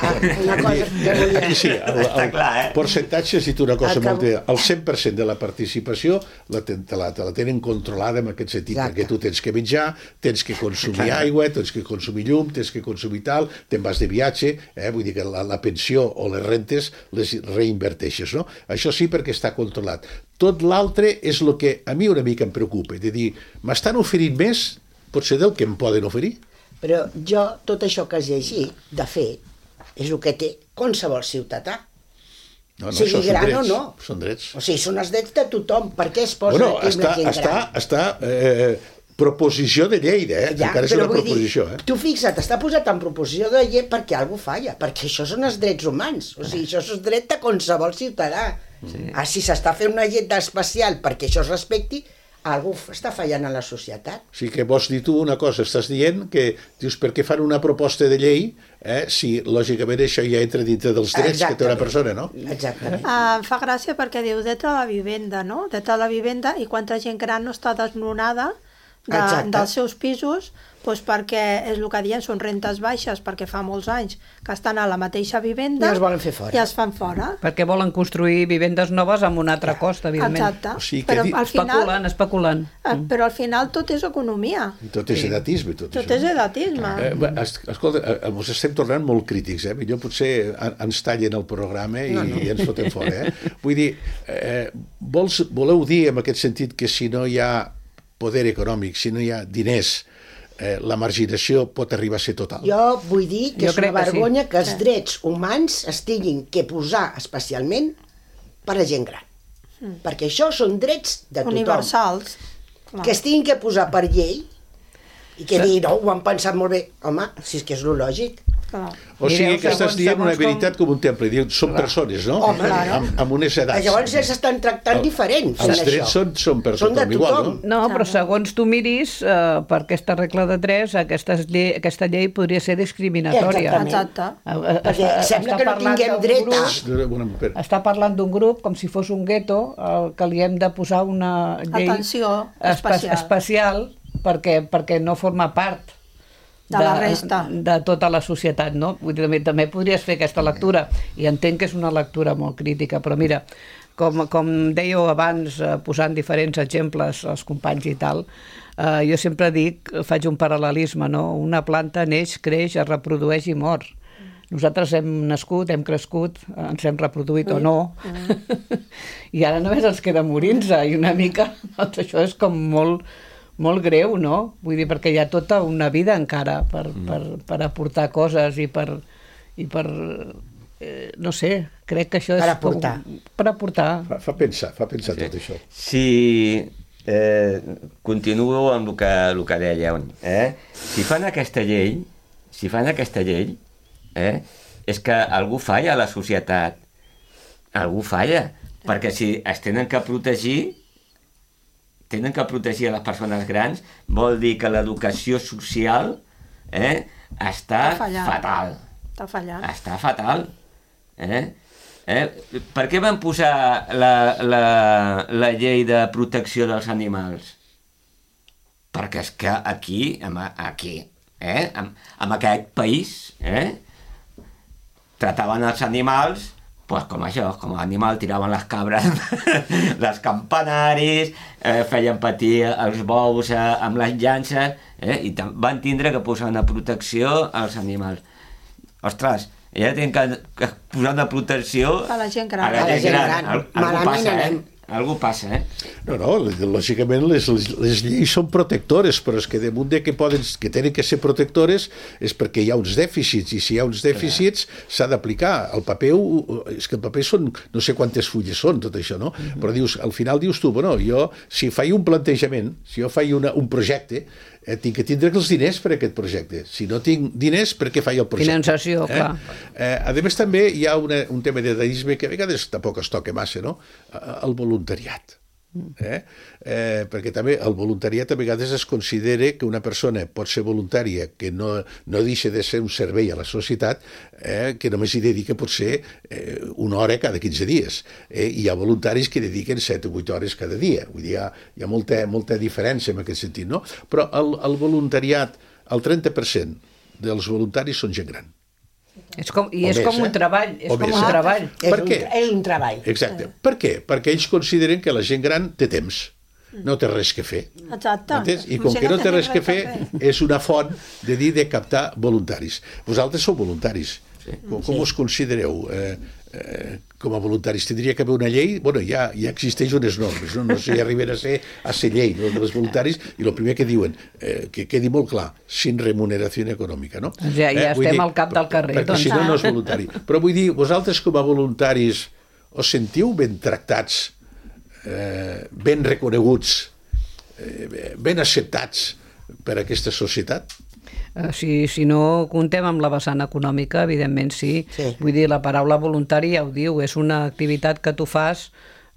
Ah, una cosa que volia... Aquí sí, el, el clar, eh? percentatge, si tu una cosa molt bé, el cent per cent de la participació la, te, te, la, te la tenen controlada en aquest sentit, exacte. Perquè tu tens que menjar, tens que consumir aigua, tens que consumir llum, tens que consumir tal, te'n vas de viatge, eh? Vull dir que la, la pensió o les rentes les reinverteixes, no? Això sí perquè està controlat. Tot l'altre és el que a mi una mica em preocupa, de dir, m'estan oferint més potser del que em poden oferir. Però jo, tot això que has llegit, de fet, és el que té qualsevol ciutadà. No, no, sigui gran drets, o no. Són drets. O sigui, són els drets de tothom. Per què es posa bueno, aquí està, amb la gent està, gran? Està, eh, proposició de llei, eh? Ja, Encara és però una vull proposició, dir, eh? tu fixa't, està posat en proposició de llei perquè algú falla, perquè això són els drets humans, o sigui, això és dret de qualsevol ciutadà. Sí. Ah, si s'està fent una llei especial perquè això es respecti, algú està fallant a la societat. O sigui que vols dir tu una cosa, estàs dient que, dius, per què fan una proposta de llei eh, si lògicament això ja entra dintre dels drets Exactament. que té una persona, no? Exactament. Uh, em fa gràcia perquè diu dret a la vivenda, no? Dret a la vivenda i quanta gent gran no està desnonada de, dels seus pisos, doncs perquè és el que diuen, són rentes baixes, perquè fa molts anys que estan a la mateixa vivenda i els volen fer fora. I els fan fora. Perquè volen construir vivendes noves amb un altre cost, evidentment. Exacte. O sigui que però di... al final, especulant, especulant. eh, però al final tot és economia. I tot és edatisme. Tot, Tot això. és edatisme. Eh, bé, es- escolta, eh, ens estem tornant molt crítics, eh? Millor potser en- ens tallen el programa i, no, no. i ens fotem fora, eh? Vull dir, eh, vols, voleu dir en aquest sentit que si no hi ha poder econòmic, si no hi ha diners, eh, la marginació pot arribar a ser total? Jo vull dir que Jo és una crec que sí. vergonya que els drets humans es tinguin que posar especialment per a gent gran. Mm. Perquè això són drets de tothom. Universals. Clar. Que es tinguin que posar per llei i que dir, no, ho han pensat molt bé. Home, si és que és lo lògic. Clar. O sigui Mireu, que estàs segons- dient una segons com- veritat com un temple. Diu, són persones, no? Home, claro. amb, amb unes edats. Llavors ells estan tractant diferent fent Els això. drets són, són per Són de tothom igual, tothom. no? No, però segons tu miris, eh, per aquesta regla de tres, aquesta llei, aquesta llei podria ser discriminatòria. Exactament. Exacte. Eh, eh, Perquè està- sembla està que no parlant tinguem d'un dret a- grup- Una, una, Està parlant d'un grup com si fos un gueto al que li hem de posar una llei Atenció espe- especial. especial perquè, perquè no forma part De la resta. de tota la societat, no? Vull dir, també, també podries fer aquesta lectura, i entenc que és una lectura molt crítica, però mira, com, com dèieu abans, eh, posant diferents exemples als companys i tal, eh, jo sempre dic, faig un paral·lelisme, no? Una planta neix, creix, es reprodueix i mor. Nosaltres hem nascut, hem crescut, ens hem reproduït o no, i ara només ens queda morir-nos, i una mica, doncs això és com molt, molt greu, no? Vull dir, perquè hi ha tota una vida encara per, mm. per, per aportar coses i per, i per eh, no sé, crec que això és... Per aportar. Com, per aportar. fa, fa pensar, fa pensar sí. tot això. Si eh, continuo amb el que, el que dèieu, eh? Si fan aquesta llei, si fan aquesta llei, eh? És que algú falla a la societat. Algú falla. Perquè si es tenen que protegir, tenen que protegir a les persones grans, vol dir que l'educació social eh, està, Està fallant. fatal. Està fallant. Està fatal. Eh? Eh? Per què van posar la, la, la llei de protecció dels animals? Perquè és que aquí, amb, aquí eh? en, en aquest país, eh? trataven els animals pues com això, com a animal, tiraven les cabres dels campanaris, eh, feien patir els bous eh, amb les llances, eh, i van tindre que posar una protecció als animals. Ostres, ja tenen que, que posar una protecció A la gent gran. A la A la gent gent gran. gran. Al, algú Malament passa, anem. eh? Algú passa, eh? No, no, lògicament les, les lleis són protectores, però és que damunt de que, poden, que tenen que ser protectores és perquè hi ha uns dèficits, i si hi ha uns dèficits s'ha d'aplicar. El paper, és que el paper són, no sé quantes fulles són, tot això, no? Mm-hmm. Però dius, al final dius tu, bueno, jo, si faig un plantejament, si jo faig una, un projecte, eh, tinc que tindre els diners per a aquest projecte. Si no tinc diners, per què faig el projecte? Finançació, eh? clar. Eh, a més, també hi ha una, un tema de deisme que a vegades tampoc es toca massa, no? El voluntariat. Eh? Eh, perquè també el voluntariat a vegades es considera que una persona pot ser voluntària, que no, no deixa de ser un servei a la societat, eh, que només hi dedica potser eh, una hora cada quinze dies. Eh? Hi ha voluntaris que dediquen set o vuit hores cada dia. Vull dir, hi ha, hi ha molta, molta diferència en aquest sentit, no? Però el, el voluntariat, el trenta per cent dels voluntaris són gent gran. És com, I O és més, com un eh? treball, és O com més, un eh? treball. És Per un, què? és un treball. Exacte. Per què? Perquè ells consideren que la gent gran té temps, no té res que fer. Exacte. Entens? I Com com si que no no té res tingués que fer, és una font de dir de captar voluntaris. Vosaltres sou voluntaris. Sí. Com, com us considereu eh, eh, com a voluntaris? Tindria que haver una llei? Bueno, ja, ja existeix unes normes, no, no sé si arriben a ser, a ser llei, no, dels voluntaris, i el primer que diuen, eh, que quedi molt clar, sin remuneració econòmica, no? Ja, ja eh, vull estem dir, al cap del carrer, perquè doncs. si no, no és voluntari. Però vull dir, vosaltres com a voluntaris us sentiu ben tractats, eh, ben reconeguts, eh, ben acceptats per aquesta societat? Si, si no comptem amb la vessant econòmica, evidentment sí. Sí. Vull dir, la paraula voluntari ja ho diu, és una activitat que tu fas,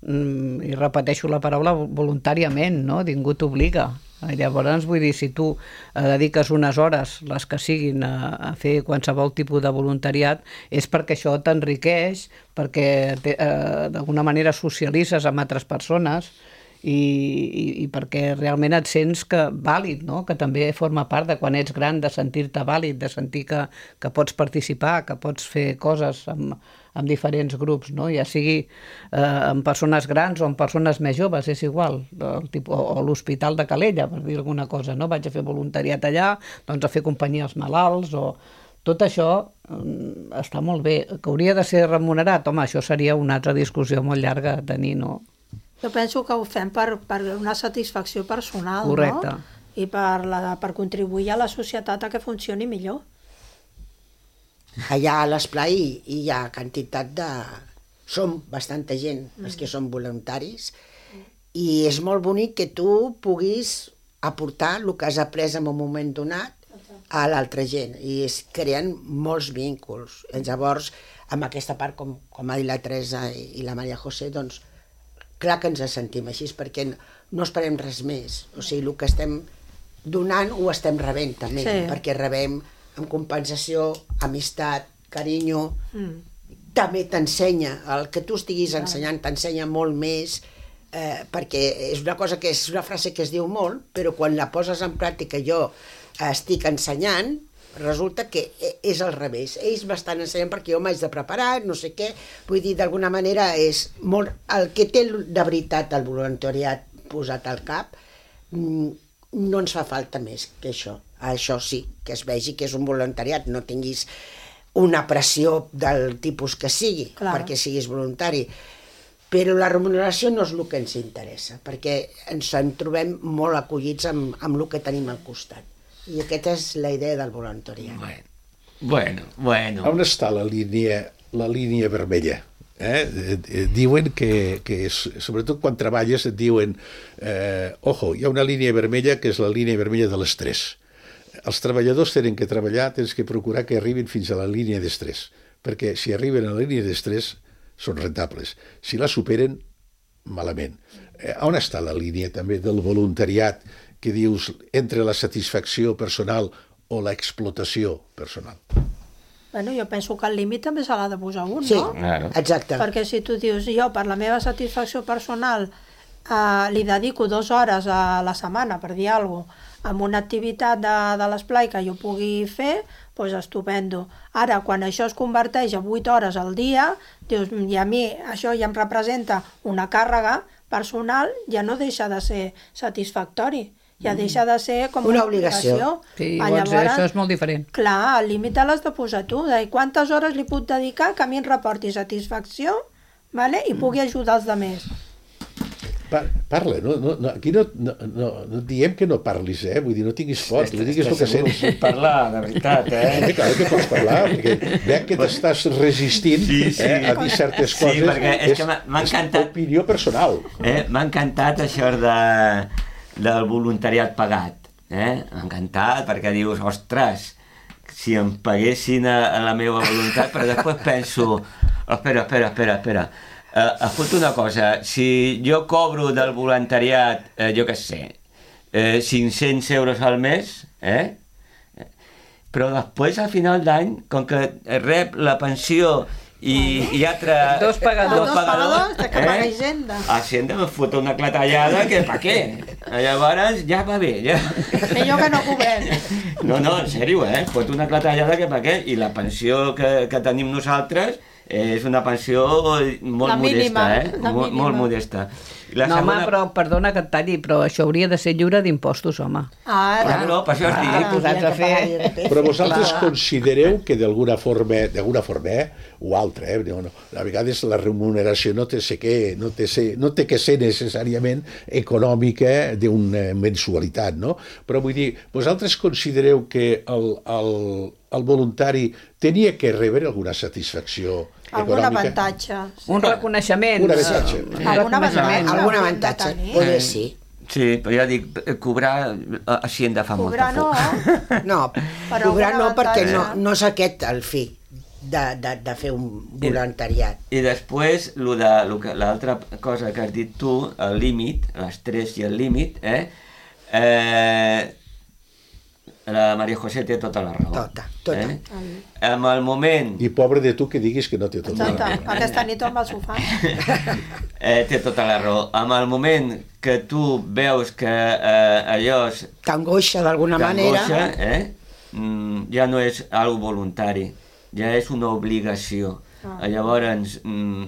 mm, i repeteixo la paraula voluntàriament, no? Ningú t'obliga. Llavors, vull dir, si tu eh, dediques unes hores, les que siguin, a, a fer qualsevol tipus de voluntariat, és perquè això t'enriqueix, perquè te, eh, d'alguna manera socialitzes amb altres persones, i, i, i perquè realment et sents que vàlid, no? Que també forma part de quan ets gran, de sentir-te vàlid, de sentir que, que pots participar, que pots fer coses amb, amb diferents grups, no? Ja sigui eh, amb persones grans o amb persones més joves, és igual, el tipus, o, o l'Hospital de Calella, per dir alguna cosa, no? Vaig a fer voluntariat allà, doncs a fer companyia als malalts, o tot això um, està molt bé. Que hauria de ser remunerat? Home, això seria una altra discussió molt llarga a tenir, no? Jo penso que ho fem per, per una satisfacció personal, correcte, no? I per, la, per contribuir a la societat a que funcioni millor. Allà a l'esplai hi ha quantitat de... Som bastanta gent, els que som voluntaris, i és molt bonic que tu puguis aportar el que has après en un moment donat a l'altra gent, i es creen molts vínculs. Llavors, amb aquesta part, com, com ha dit la Teresa i la Maria José, doncs, clar que ens sentim així, perquè no esperem res més. O sigui, el que estem donant ho estem rebent també, sí. Perquè rebem en compensació, amistat, carinyo, mm. també t'ensenya, el que tu estiguis ensenyant t'ensenya molt més, eh, perquè és una cosa que és una frase que es diu molt, però quan la poses en pràctica jo estic ensenyant, resulta que és al revés. Ells m'estan ensenyant perquè jo m'haig de preparar, no sé què. Vull dir, d'alguna manera és molt... El que té de veritat el voluntariat posat al cap, no ens fa falta més que això. Això sí, que es vegi que és un voluntariat, no tinguis una pressió del tipus que sigui, clar, perquè siguis voluntari. Però la remuneració no és el que ens interessa, perquè ens en trobem molt acollits amb, amb el que tenim al costat. I aquesta és la idea del voluntariat. Bueno, bueno. bueno. On està la línia, la línia vermella? Eh? Diuen que, que és, sobretot quan treballes et diuen eh, ojo, hi ha una línia vermella que és la línia vermella de l'estrès. Els treballadors tenen que treballar, tens que procurar que arribin fins a la línia d'estrès, perquè si arriben a la línia d'estrès són rentables. Si la superen, malament. Eh, on està la línia també del voluntariat que dius entre la satisfacció personal o l'explotació personal? Bueno, jo penso que el límit també se l'ha de posar un, sí, no? Claro. Exacte. Perquè si tu dius, jo per la meva satisfacció personal eh, li dedico dues hores a la setmana, per dir alguna cosa, amb una activitat de, de l'esplai que jo pugui fer, doncs estupendo. Ara, quan això es converteix a vuit hores al dia, dius, i a mi això ja em representa una càrrega personal, ja no deixa de ser satisfactori. Ja deixa de ser com una una obligació. obligació. Sí, llavors, llavors això és molt diferent. Clar, el límit l'has de posar tu, de quantes hores li puc dedicar que a mi em reporti satisfacció, vale? I pugui ajudar els altres. Pa parla, no, no, no, aquí no, no, no, no diem que no parlis, eh? Vull dir, no tinguis por, tu digues el que sents. Parlar, de veritat, eh? Sí, clar que pots parlar, perquè veig que t'estàs resistint sí, sí. Eh, a dir certes Sí, coses. perquè és que m'ha és encantat. opinió personal. Eh? M'ha encantat això de, del voluntariat pagat. Eh? M'ha encantat, perquè dius, ostres, si em paguessin a, a la meva voluntat, però després penso, espera, espera, espera, espera, Uh, escolta una cosa, si jo cobro del voluntariat, eh, jo què sé, eh, cinc-cents euros al mes, eh? Però després, al final d'any, com que rep la pensió i, i altre... Dos pagadors. Dos pagadors, de que paga Hisenda. Hisenda me fota una clatellada que pa què? Llavors ja va bé, ja... Millor que no cobrem. No, no, en sèrio, eh? Fot una clatellada que pa què? I la pensió que, que tenim nosaltres és una pensió molt La mínima, modesta, eh? la Molt, mínima. molt modesta. La No, segona... home, però perdona que et talli, però això hauria de ser lliure d'impostos, home. Ah, Claro, per això es dic. Ah, posats a fer... Però vosaltres considereu que d'alguna forma, d'alguna forma, eh, o altra, eh, no, no, a vegades la remuneració no té, ser que, no té, ser, no té que ser necessàriament econòmica d'una mensualitat, no? Però vull dir, vosaltres considereu que el, el, el voluntari tenia que rebre alguna satisfacció algun econòmica? avantatge. Un reconeixement. Un avantatge. Un Algun reconeixement. avantatge. Algun Hauríem avantatge, de tenir. poder sí. Sí, però ja dic, cobrar així hem de fa Cobrar molta por. no, No, Però cobrar algun no, perquè no, avantatge. no és aquest el fi de, de, de fer un voluntariat. I després, lo de, lo que, l'altra cosa que has dit tu, el límit, l'estrès i el límit, eh? eh la Maria José té tota la raó. Tota, tota. Eh? En el moment... I pobre de tu que diguis que no té tot. Tota, aquesta nit amb el sofà. eh, té tota la raó. En el moment que tu veus que eh, allò és T'angoixa d'alguna manera. t'angoixa, eh? mm, ja no és algo voluntari, ja és una obligació. Ah. Llavors, mm,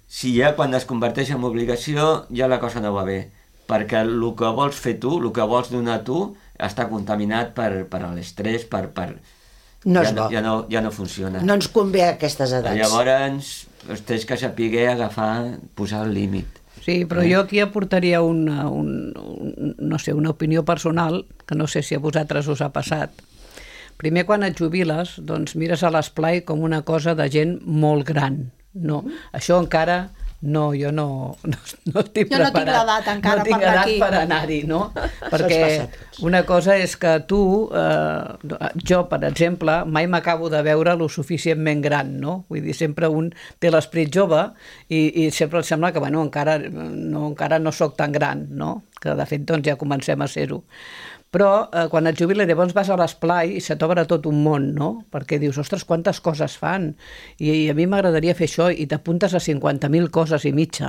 si ja quan es converteix en obligació, ja la cosa no va bé, perquè el que vols fer tu, el que vols donar tu, està contaminat per, per l'estrès, per, per... No ja, és bo. ja, no, ja no funciona. No ens convé a aquestes edats. Llavors, doncs tens que saber agafar, posar el límit. Sí, però jo aquí aportaria una, un, un, no sé, una opinió personal, que no sé si a vosaltres us ha passat. Primer, quan et jubiles, doncs mires a l'esplai com una cosa de gent molt gran. No, això encara... No, jo no, no, no estic Jo no preparat. tinc l'edat encara no tinc per anar edat aquí. per anar-hi, no? Perquè passa a tots. una cosa és que tu, eh, jo, per exemple, mai m'acabo de veure lo suficientment gran, no? Vull dir, sempre un té l'esperit jove i, i sempre em sembla que, bueno, encara no, encara no sóc tan gran, no? Que, de fet, doncs ja comencem a ser-ho. Però eh, quan et jubiles llavors vas a l'esplai i se t'obre tot un món, no? Perquè dius, ostres, quantes coses fan, i, i a mi m'agradaria fer això, i t'apuntes a cinquanta mil coses i mitja,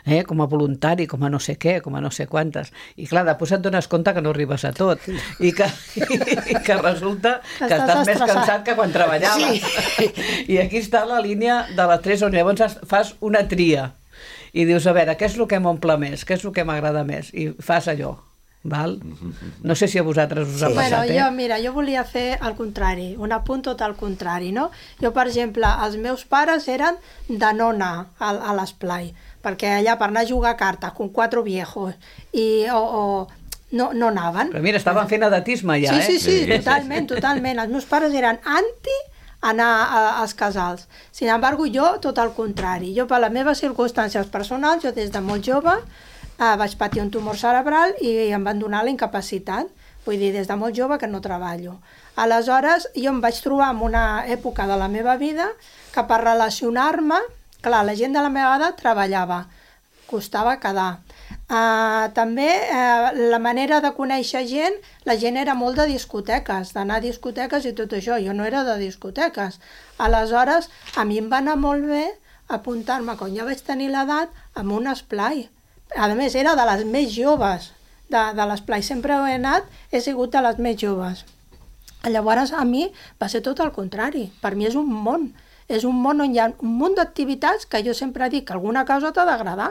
eh? Com a voluntari, com a no sé què, com a no sé quantes, i clar, després et dones compte que no arribes a tot, i que, i que resulta que Estàs estàs més estressat. cansat que quan treballaves. Sí. I aquí està la línia de les tres, on llavors fas una tria, i dius, a veure, què és el que m'omple més, què és el que m'agrada més, i fas allò. Val? No sé si a vosaltres us ha Sí. passat, Bueno, eh? jo, mira, jo volia fer el contrari, un apunt tot al contrari, no? Jo, per exemple, els meus pares eren de no anar a, a l'esplai, perquè allà per anar a jugar a cartes con quatre viejos, i, o, o no, no anaven. Però mira, estaven fent edatisme ja, Sí, eh? sí, sí, Sí, sí, totalment, totalment. Els meus pares eren anti anar a, als casals. Sin embargo, jo, tot el contrari. Jo, per les meves circumstàncies personals, jo des de molt jove eh, vaig patir un tumor cerebral i em van donar la incapacitat. Vull dir, des de molt jove que no treballo. Aleshores, jo em vaig trobar en una època de la meva vida que per relacionar-me, clar, la gent de la meva edat treballava, costava quedar. Uh, també uh, la manera de conèixer gent, la gent era molt de discoteques, d'anar a discoteques i tot això, jo no era de discoteques. Aleshores, a mi em va anar molt bé apuntar-me, quan ja vaig tenir l'edat, amb un esplai. A més, era de les més joves de, de l'esplai, sempre he anat, he sigut de les més joves. Llavors, a mi va ser tot el contrari, per mi és un món, és un món on hi ha un munt d'activitats que jo sempre dic que alguna cosa t'ha d'agradar.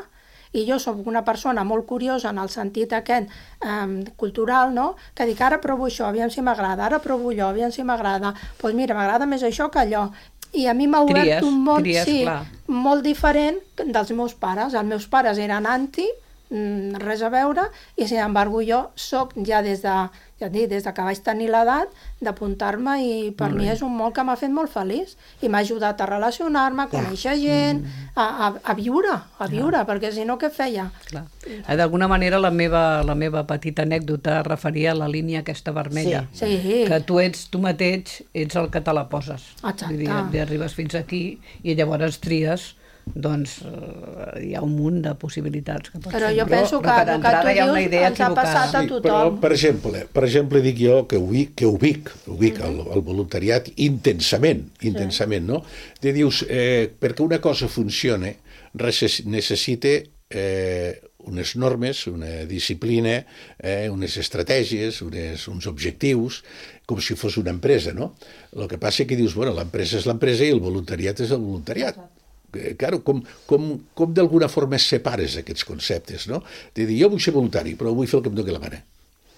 I jo sóc una persona molt curiosa en el sentit aquest eh, cultural, no? Que dic, ara provo això, aviam si m'agrada, ara provo allò, aviam si m'agrada. Doncs pues mira, m'agrada més això que allò. I a mi m'ha obert Tries, un món tries, sí, clar. molt diferent dels meus pares. Els meus pares eren anti, mm, res a veure, i sin embargo jo sóc ja des de, ja et dic, des de que vaig tenir l'edat d'apuntar-me, i per mi és un món que m'ha fet molt feliç i m'ha ajudat a relacionar-me, a conèixer gent, a, a, a viure, a viure, perquè si no què feia? Clar. Eh, D'alguna manera la meva, la meva petita anècdota es referia a la línia aquesta vermella. Sí, sí. Que tu ets, tu mateix, ets el que te la poses. Exacte. Vull dir, ja arribes fins aquí i llavors tries, doncs eh, hi ha un munt de possibilitats. Que pots Però fer. jo penso que per el que entrada tu hi ha una dius idea ens ha equivocada. passat a Sí, tothom. però, per exemple, per exemple, dic jo que ubic, que ubic, ubic el, el voluntariat intensament, intensament, no? Te dius, eh, perquè una cosa funcione, res- necessita eh, unes normes, una disciplina, eh, unes estratègies, unes, uns objectius, com si fos una empresa, no? El que passa és que dius, bueno, l'empresa és l'empresa i el voluntariat és el voluntariat. Eh, Claro, com, com, com d'alguna forma separes aquests conceptes, no? De dir, jo vull ser voluntari, però vull fer el que em doni la gana.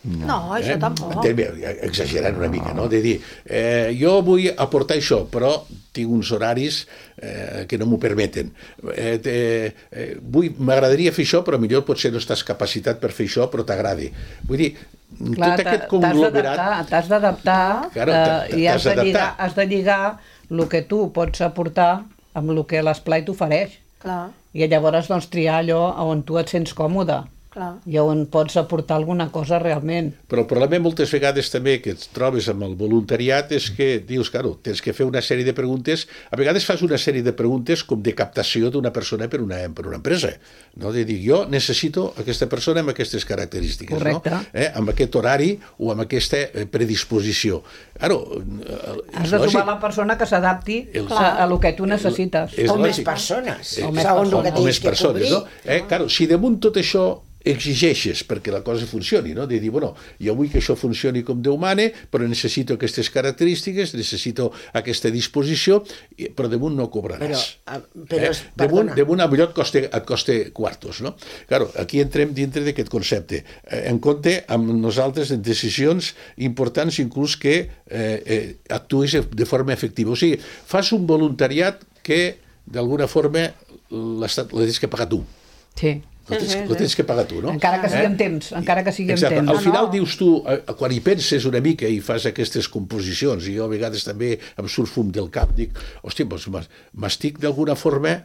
No, això tampoc. Entenc bé, exagerant una mica, no? De dir, eh, jo vull aportar això, però tinc uns horaris eh, que no m'ho permeten. Eh, eh, eh, vull, m'agradaria fer això, però millor potser no estàs capacitat per fer això, però t'agradi. Vull dir, Clar, tot t'ha- aquest t'has conglomerat... d'adaptar, T'has d'adaptar Claro, eh, t'ha- i has t'has de, lligar, d'adaptar. has de lligar el que tu pots aportar amb el que l'esplai t'ofereix. Clar. I llavors doncs, triar allò on tu et sents còmode. Clar. I on pots aportar alguna cosa realment. Però el problema moltes vegades també que et trobes amb el voluntariat és que dius, claro, tens que fer una sèrie de preguntes, a vegades fas una sèrie de preguntes com de captació d'una persona per una, per una empresa, no? De dir, jo necessito aquesta persona amb aquestes característiques, correcte, no? Eh? Amb aquest horari o amb aquesta predisposició. Claro, has de trobar la persona que s'adapti el... a, a lo que tu necessites. O més persones, o segons el que tens que cobrir. No? Eh? Claro, si damunt tot això exigeixes perquè la cosa funcioni, no? De dir, bueno, jo vull que això funcioni com Déu mane, però necessito aquestes característiques, necessito aquesta disposició, però damunt no cobraràs. Però, però eh? damunt, damunt a millor et costa, et costa quartos, no? Claro, aquí entrem dintre d'aquest concepte. Eh, en compte amb nosaltres en decisions importants, inclús que eh, eh, actuïs de forma efectiva. O sigui, fas un voluntariat que, d'alguna forma, l'estat l'has que pagar tu. Sí. Lo tens, lo tens que pagar tu, no? Encara que sigui eh? en temps, encara que sigui Exacte. en temps. Al final dius tu, quan hi penses una mica i fas aquestes composicions, i jo a vegades també em surt fum del cap, dic, hòstia, doncs m'estic d'alguna forma,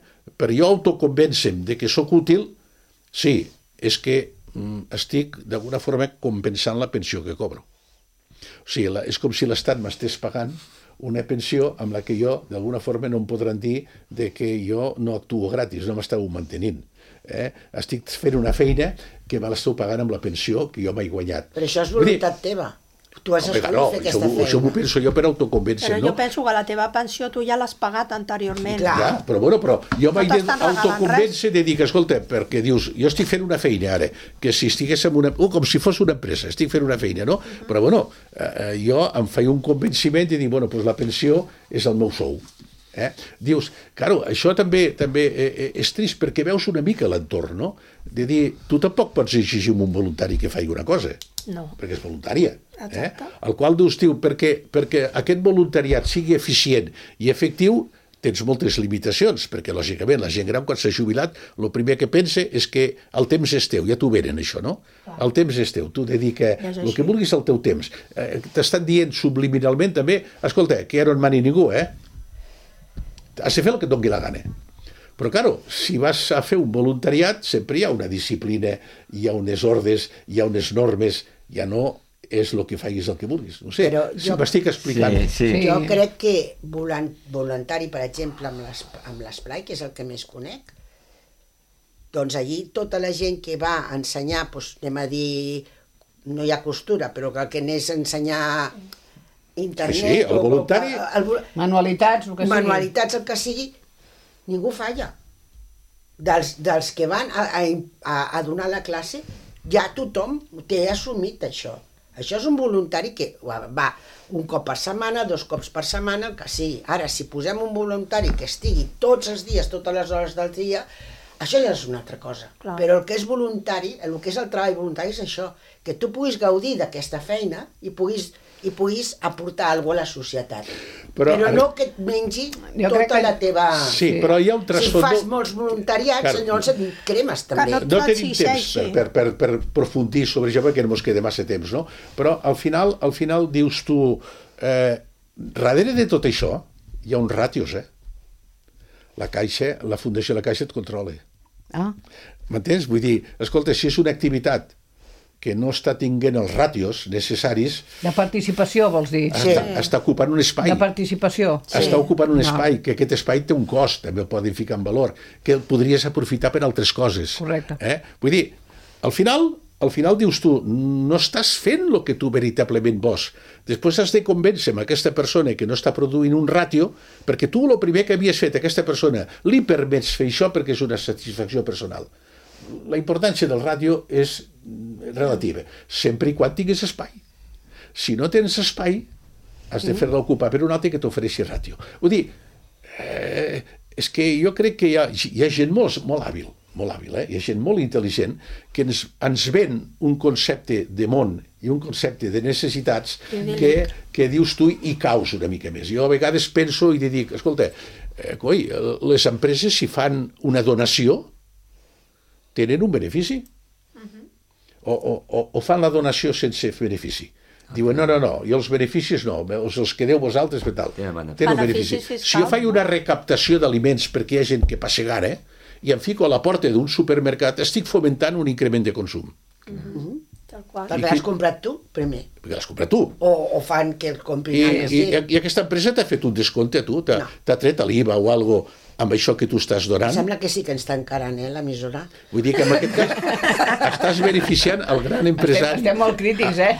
per jo autoconvèncer-me de que sóc útil, sí, és que mm, estic d'alguna forma compensant la pensió que cobro. O sigui, la, és com si l'Estat m'estés pagant una pensió amb la que jo d'alguna forma no em podran dir de que jo no actuo gratis, no m'estàu mantenint. Eh? Estic fent una feina que me l'esteu pagant amb la pensió que jo m'he guanyat. Però això és voluntat dir, teva. Tu has escollit no, fer aquesta això, feina. Això m'ho penso jo per autoconvèncer, però no? jo penso que la teva pensió tu ja l'has pagat anteriorment. Clar. Ja, però bueno, però jo m'he t'estan regalant d'autoconvèncer de dir que, escolta, perquè dius, jo estic fent una feina ara, que si estigués en una... Oh, com si fos una empresa, estic fent una feina, no? Uh-huh. Però bueno, eh, jo em feia un convenciment de dir, bueno, doncs la pensió és el meu sou. Eh? Dius, claro, això també també eh, és trist perquè veus una mica l'entorn, no? De dir, tu tampoc pots exigir un voluntari que faci una cosa, no. Perquè és voluntària. Eh? Exacte. El qual dius, tio, perquè, perquè aquest voluntariat sigui eficient i efectiu, tens moltes limitacions, perquè lògicament la gent gran quan s'ha jubilat el primer que pensa és que el temps és teu, ja t'ho venen això, no? Clar. El temps és teu, tu dedica el que vulguis al teu temps. Eh, t'estan dient subliminalment també, escolta, que ja no en mani ningú, eh? Has de fer el que et doni la gana. Però, claro, si vas a fer un voluntariat, sempre hi ha una disciplina, hi ha unes ordres, hi ha unes normes, ja no és el que facis el que vulguis. No sé, Però si jo- m'estic explicant. Sí, sí. Jo crec que volant, voluntari, per exemple, amb l'es- amb l'esplai, que és el que més conec, doncs allí tota la gent que va a ensenyar, doncs, anem a dir, no hi ha costura, però que el que anés a ensenyar internet... Sí, sí, el o- voluntari- o- el, vol- Manualitats, el que sigui. manualitats, el que sigui, ningú falla. Dels, dels que van a, a, a donar la classe, ja tothom té assumit això. Això és un voluntari que va un cop per setmana, dos cops per setmana, el que sigui. Ara, si posem un voluntari que estigui tots els dies, totes les hores del dia, això ja és una altra cosa. Clar. Però el que és voluntari, el que és el treball voluntari és això, que tu puguis gaudir d'aquesta feina i puguis i puguis aportar alguna cosa a la societat. Però, Però, ara- no que et mengi Jo tota crec que- la teva... Sí, però hi ha un Si trasfons... fas molts voluntariats, Claro. llavors et cremes també. no- No et tenim temps exigeixi. per, per, per, per profundir sobre això perquè no ens queda massa temps, no? Però al final, al final dius tu, eh, darrere de tot això hi ha uns ràtios, eh? La Caixa, la Fundació La Caixa et controla. Ah, M'entens? Vull dir, escolta, si és una activitat que no està tinguent els ràtios necessaris, de participació, vols dir? Sí. està, està ocupant un espai. De participació. Està ocupant un No. espai, que aquest espai té un cost, també el poden ficar en valor, que el podries aprofitar per altres coses. Correcte. Eh? Vull dir, al final, al final dius tu, no estàs fent el que tu veritablement vols. Després has de convèncer amb aquesta persona que no està produint un ràtio, perquè tu el primer que havies fet a aquesta persona li permets fer això perquè és una satisfacció personal. La importància del ràtio és relativa, sempre i quan tinguis espai. Si no tens espai, has de fer-la ocupar per un altre que t'ofereixi ràtio. Vull dir, eh, és que jo crec que hi ha, hi ha gent molt, molt hàbil, molt hàbil, eh? Hi ha gent molt intel·ligent que ens, ens ven un concepte de món i un concepte de necessitats que, que dius tu i caus una mica més. Jo a vegades penso i dic, escolta, eh, coi, les empreses si fan una donació tenen un benefici o, o, o, o fan la donació sense benefici. Diuen, no, no, no, i els beneficis no, els, els que deu vosaltres per tal. Tenen benefici. Tenen un Beneficis benefici. fiscals, Si jo faig no? una recaptació d'aliments perquè hi ha gent que passa gana, i em fico a la porta d'un supermercat, estic fomentant un increment de consum. Mm-hmm. Tal qual. Perquè l'has comprat tu, primer. Perquè l'has comprat tu. O, o fan que el I, comprin. i, I aquesta empresa t'ha fet un descompte a tu, t'ha no. tret l'I V A o algo amb això que tu estàs donant. Em sembla que sí que ens està encarant, eh, l'emissora. Vull dir que en aquest cas estàs beneficiant el gran empresari. Estem, estem molt crítics, eh?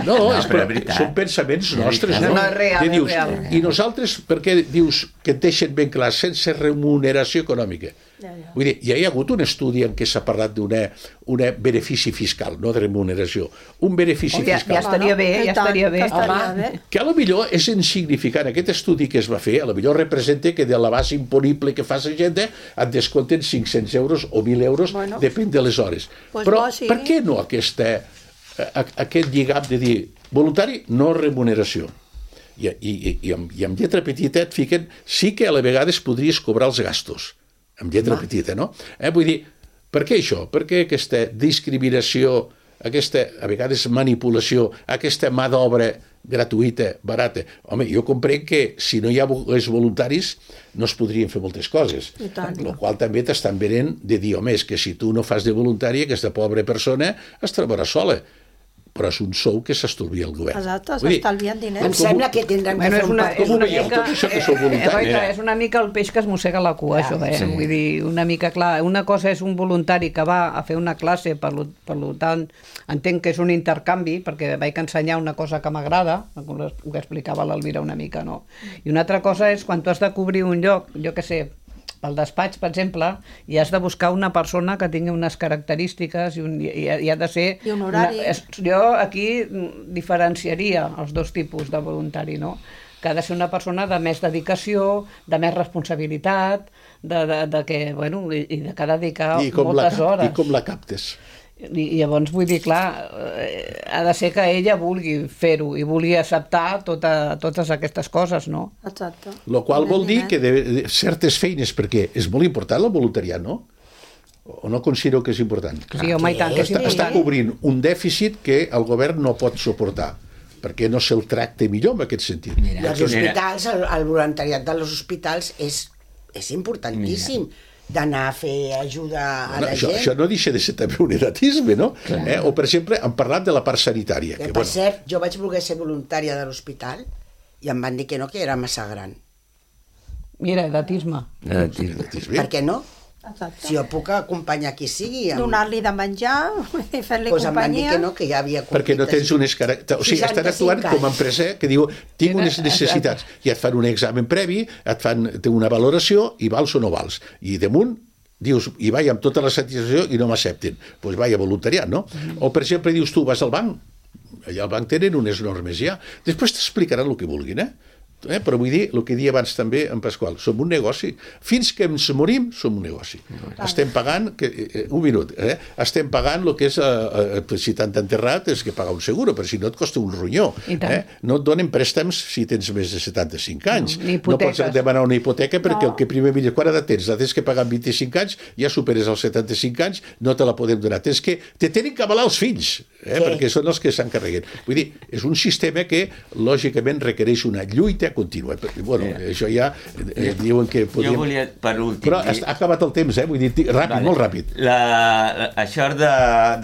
No, No, és, però però, és veritat. són pensaments nostres, No, no? no, és real, I és dius, real. I nosaltres, per què dius que et deixen ben clar, sense remuneració econòmica? Ja, ja. Vull dir, ja hi ha hagut un estudi en què s'ha parlat d'un benefici fiscal, no de remuneració. Un benefici Oh, ja, fiscal. ja estaria bé, I ja tant, estaria bé. que estaria Home. bé. Que a lo millor és insignificant. Aquest estudi que es va fer, a lo millor representa que de la base imponible que fa la gent et descompten cinc-cents euros o mil euros, Bueno. depèn de les hores. Pues Però bo, sí. per què no aquesta, a, aquest lligam de dir voluntari, no remuneració? I, i, i, amb, I amb lletra petita et fiquen sí que a la vegades podries cobrar els gastos, amb lletra Va. petita, no? Eh, vull dir, per què això? Per què aquesta discriminació, aquesta, a vegades, manipulació, aquesta mà d'obra gratuïta, barata? Home, jo comprenc que si no hi ha els voluntaris no es podrien fer moltes coses. I tant. El qual també t'estan venent de dir, home, és que si tu no fas de voluntari, aquesta pobra persona es trobarà sola. Però és un sou que s'estalvia el govern. Exacte, Vull dir, s'estalvien diners. Em sembla que tindrem Bueno, que és fer un una, pacte. és una veieu, mica, tot això que sou voluntaris? eh, Goita, és una mica el peix que es mossega la cua, això, eh? sí. Vull dir, una mica clar, una cosa és un voluntari que va a fer una classe, per, lo, per lo tant, entenc que és un intercanvi, perquè vaig ensenyar una cosa que m'agrada, com ho explicava l'Elvira una mica, no? I una altra cosa és quan tu has de cobrir un lloc, jo què sé, pel despatx, per exemple, i has de buscar una persona que tingui unes característiques i, un, i, i ha de ser... I un horari. Una, és, jo aquí diferenciaria els dos tipus de voluntari, no? Que ha de ser una persona de més dedicació, de més responsabilitat, de, de, de que, bueno, i, i de que ha de dedicar I com moltes la, hores. I com la captes? I, i llavors vull dir, clar, eh, ha de ser que ella vulgui fer-ho i vulgui acceptar tota, totes aquestes coses, no? Exacte. Lo qual vol dir que de, de certes feines, perquè és molt important el voluntariat, no? O no considero que és important? Sí, home, i tant, que és Està, està important. cobrint un dèficit que el govern no pot suportar, perquè no se'l tracta millor en aquest sentit. I els hospitals, el, el voluntariat dels hospitals és, és importantíssim. D'anar a fer ajuda a Bueno, la això, gent. això no deixa de ser també un edatisme, no? Eh? O, per exemple, han parlat de la part sanitària. Que, Que, per bueno, cert, jo vaig voler ser voluntària de l'hospital i em van dir que no, que era massa gran. Mira, edatisme. edatisme. Per què no? Exacte. Si jo puc acompanyar qui sigui... Amb... Donar-li de menjar i fer-li pues em van dir companyia. que no, que ja havia Perquè no tens unes característiques... O sigui, estan actuant com a empresa que diu tinc unes necessitats i et fan un examen previ, et fan té una valoració i vals o no vals. I damunt dius, i vaig amb tota la satisfacció i no m'accepten. Doncs pues vaig a voluntariat, no? O, per exemple, dius tu, vas al banc, allà al banc tenen unes normes ja. Després t'explicaran el que vulguin, eh? Eh, però vull dir, el que deia abans també en Pasqual, som un negoci. Fins que ens morim, som un negoci. Estem pagant, que, eh, un minut, eh, estem pagant el que és, eh, eh, si t'han enterrat, és que pagar un seguro, però si no et costa un ronyó. Eh? No et donen préstems si tens més de setanta-cinc anys. No, ni no pots hipoteques. demanar una hipoteca perquè No. el que primer mira, quan edat tens? La tens que pagar amb vint-i-cinc anys, ja superes els setanta-cinc anys, no te la podem donar. Tens que, te tenen que avalar els fills, eh? Sí. perquè són els que s'encarreguen. Vull dir, és un sistema que, lògicament, requereix una lluita contínua. Bueno, Sí. això ja eh, diuen que podíem... Jo volia, per últim... Però dir- ha acabat el temps, eh? Vull dir, ràpid, Vale. molt ràpid. La, la, això de,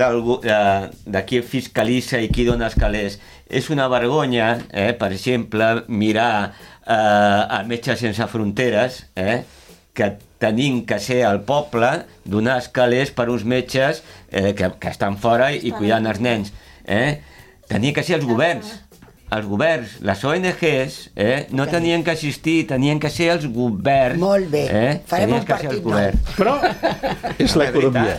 d'algú- de, de qui fiscalitza i qui dona els calés és una vergonya, eh? Per exemple, mirar eh, a Metges Sense Fronteres, eh? que tenim que ser al poble, donar els calés per uns metges eh, que, que estan fora i cuidant els nens. Eh? Tenia que ser els governs. Els governs, les O N Ges, eh, no tenien que assistir, tenien que ser els governs. Molt bé. Eh? Farem Tenien un que ser els partit nou. governs. Però és l'economia.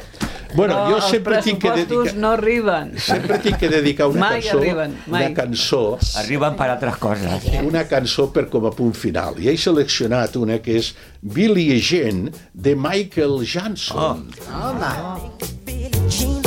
Bueno, no, jo sempre els tinc que pressupostos dedicar... no arriben. Sempre tinc que dedicar una Mai cançó, arriben, mai. una cançó, Arriben per altres coses. una cançó per com a punt final. I he seleccionat una que és Billie Jean, de Michael Jackson. Oh. Home, Billie Jean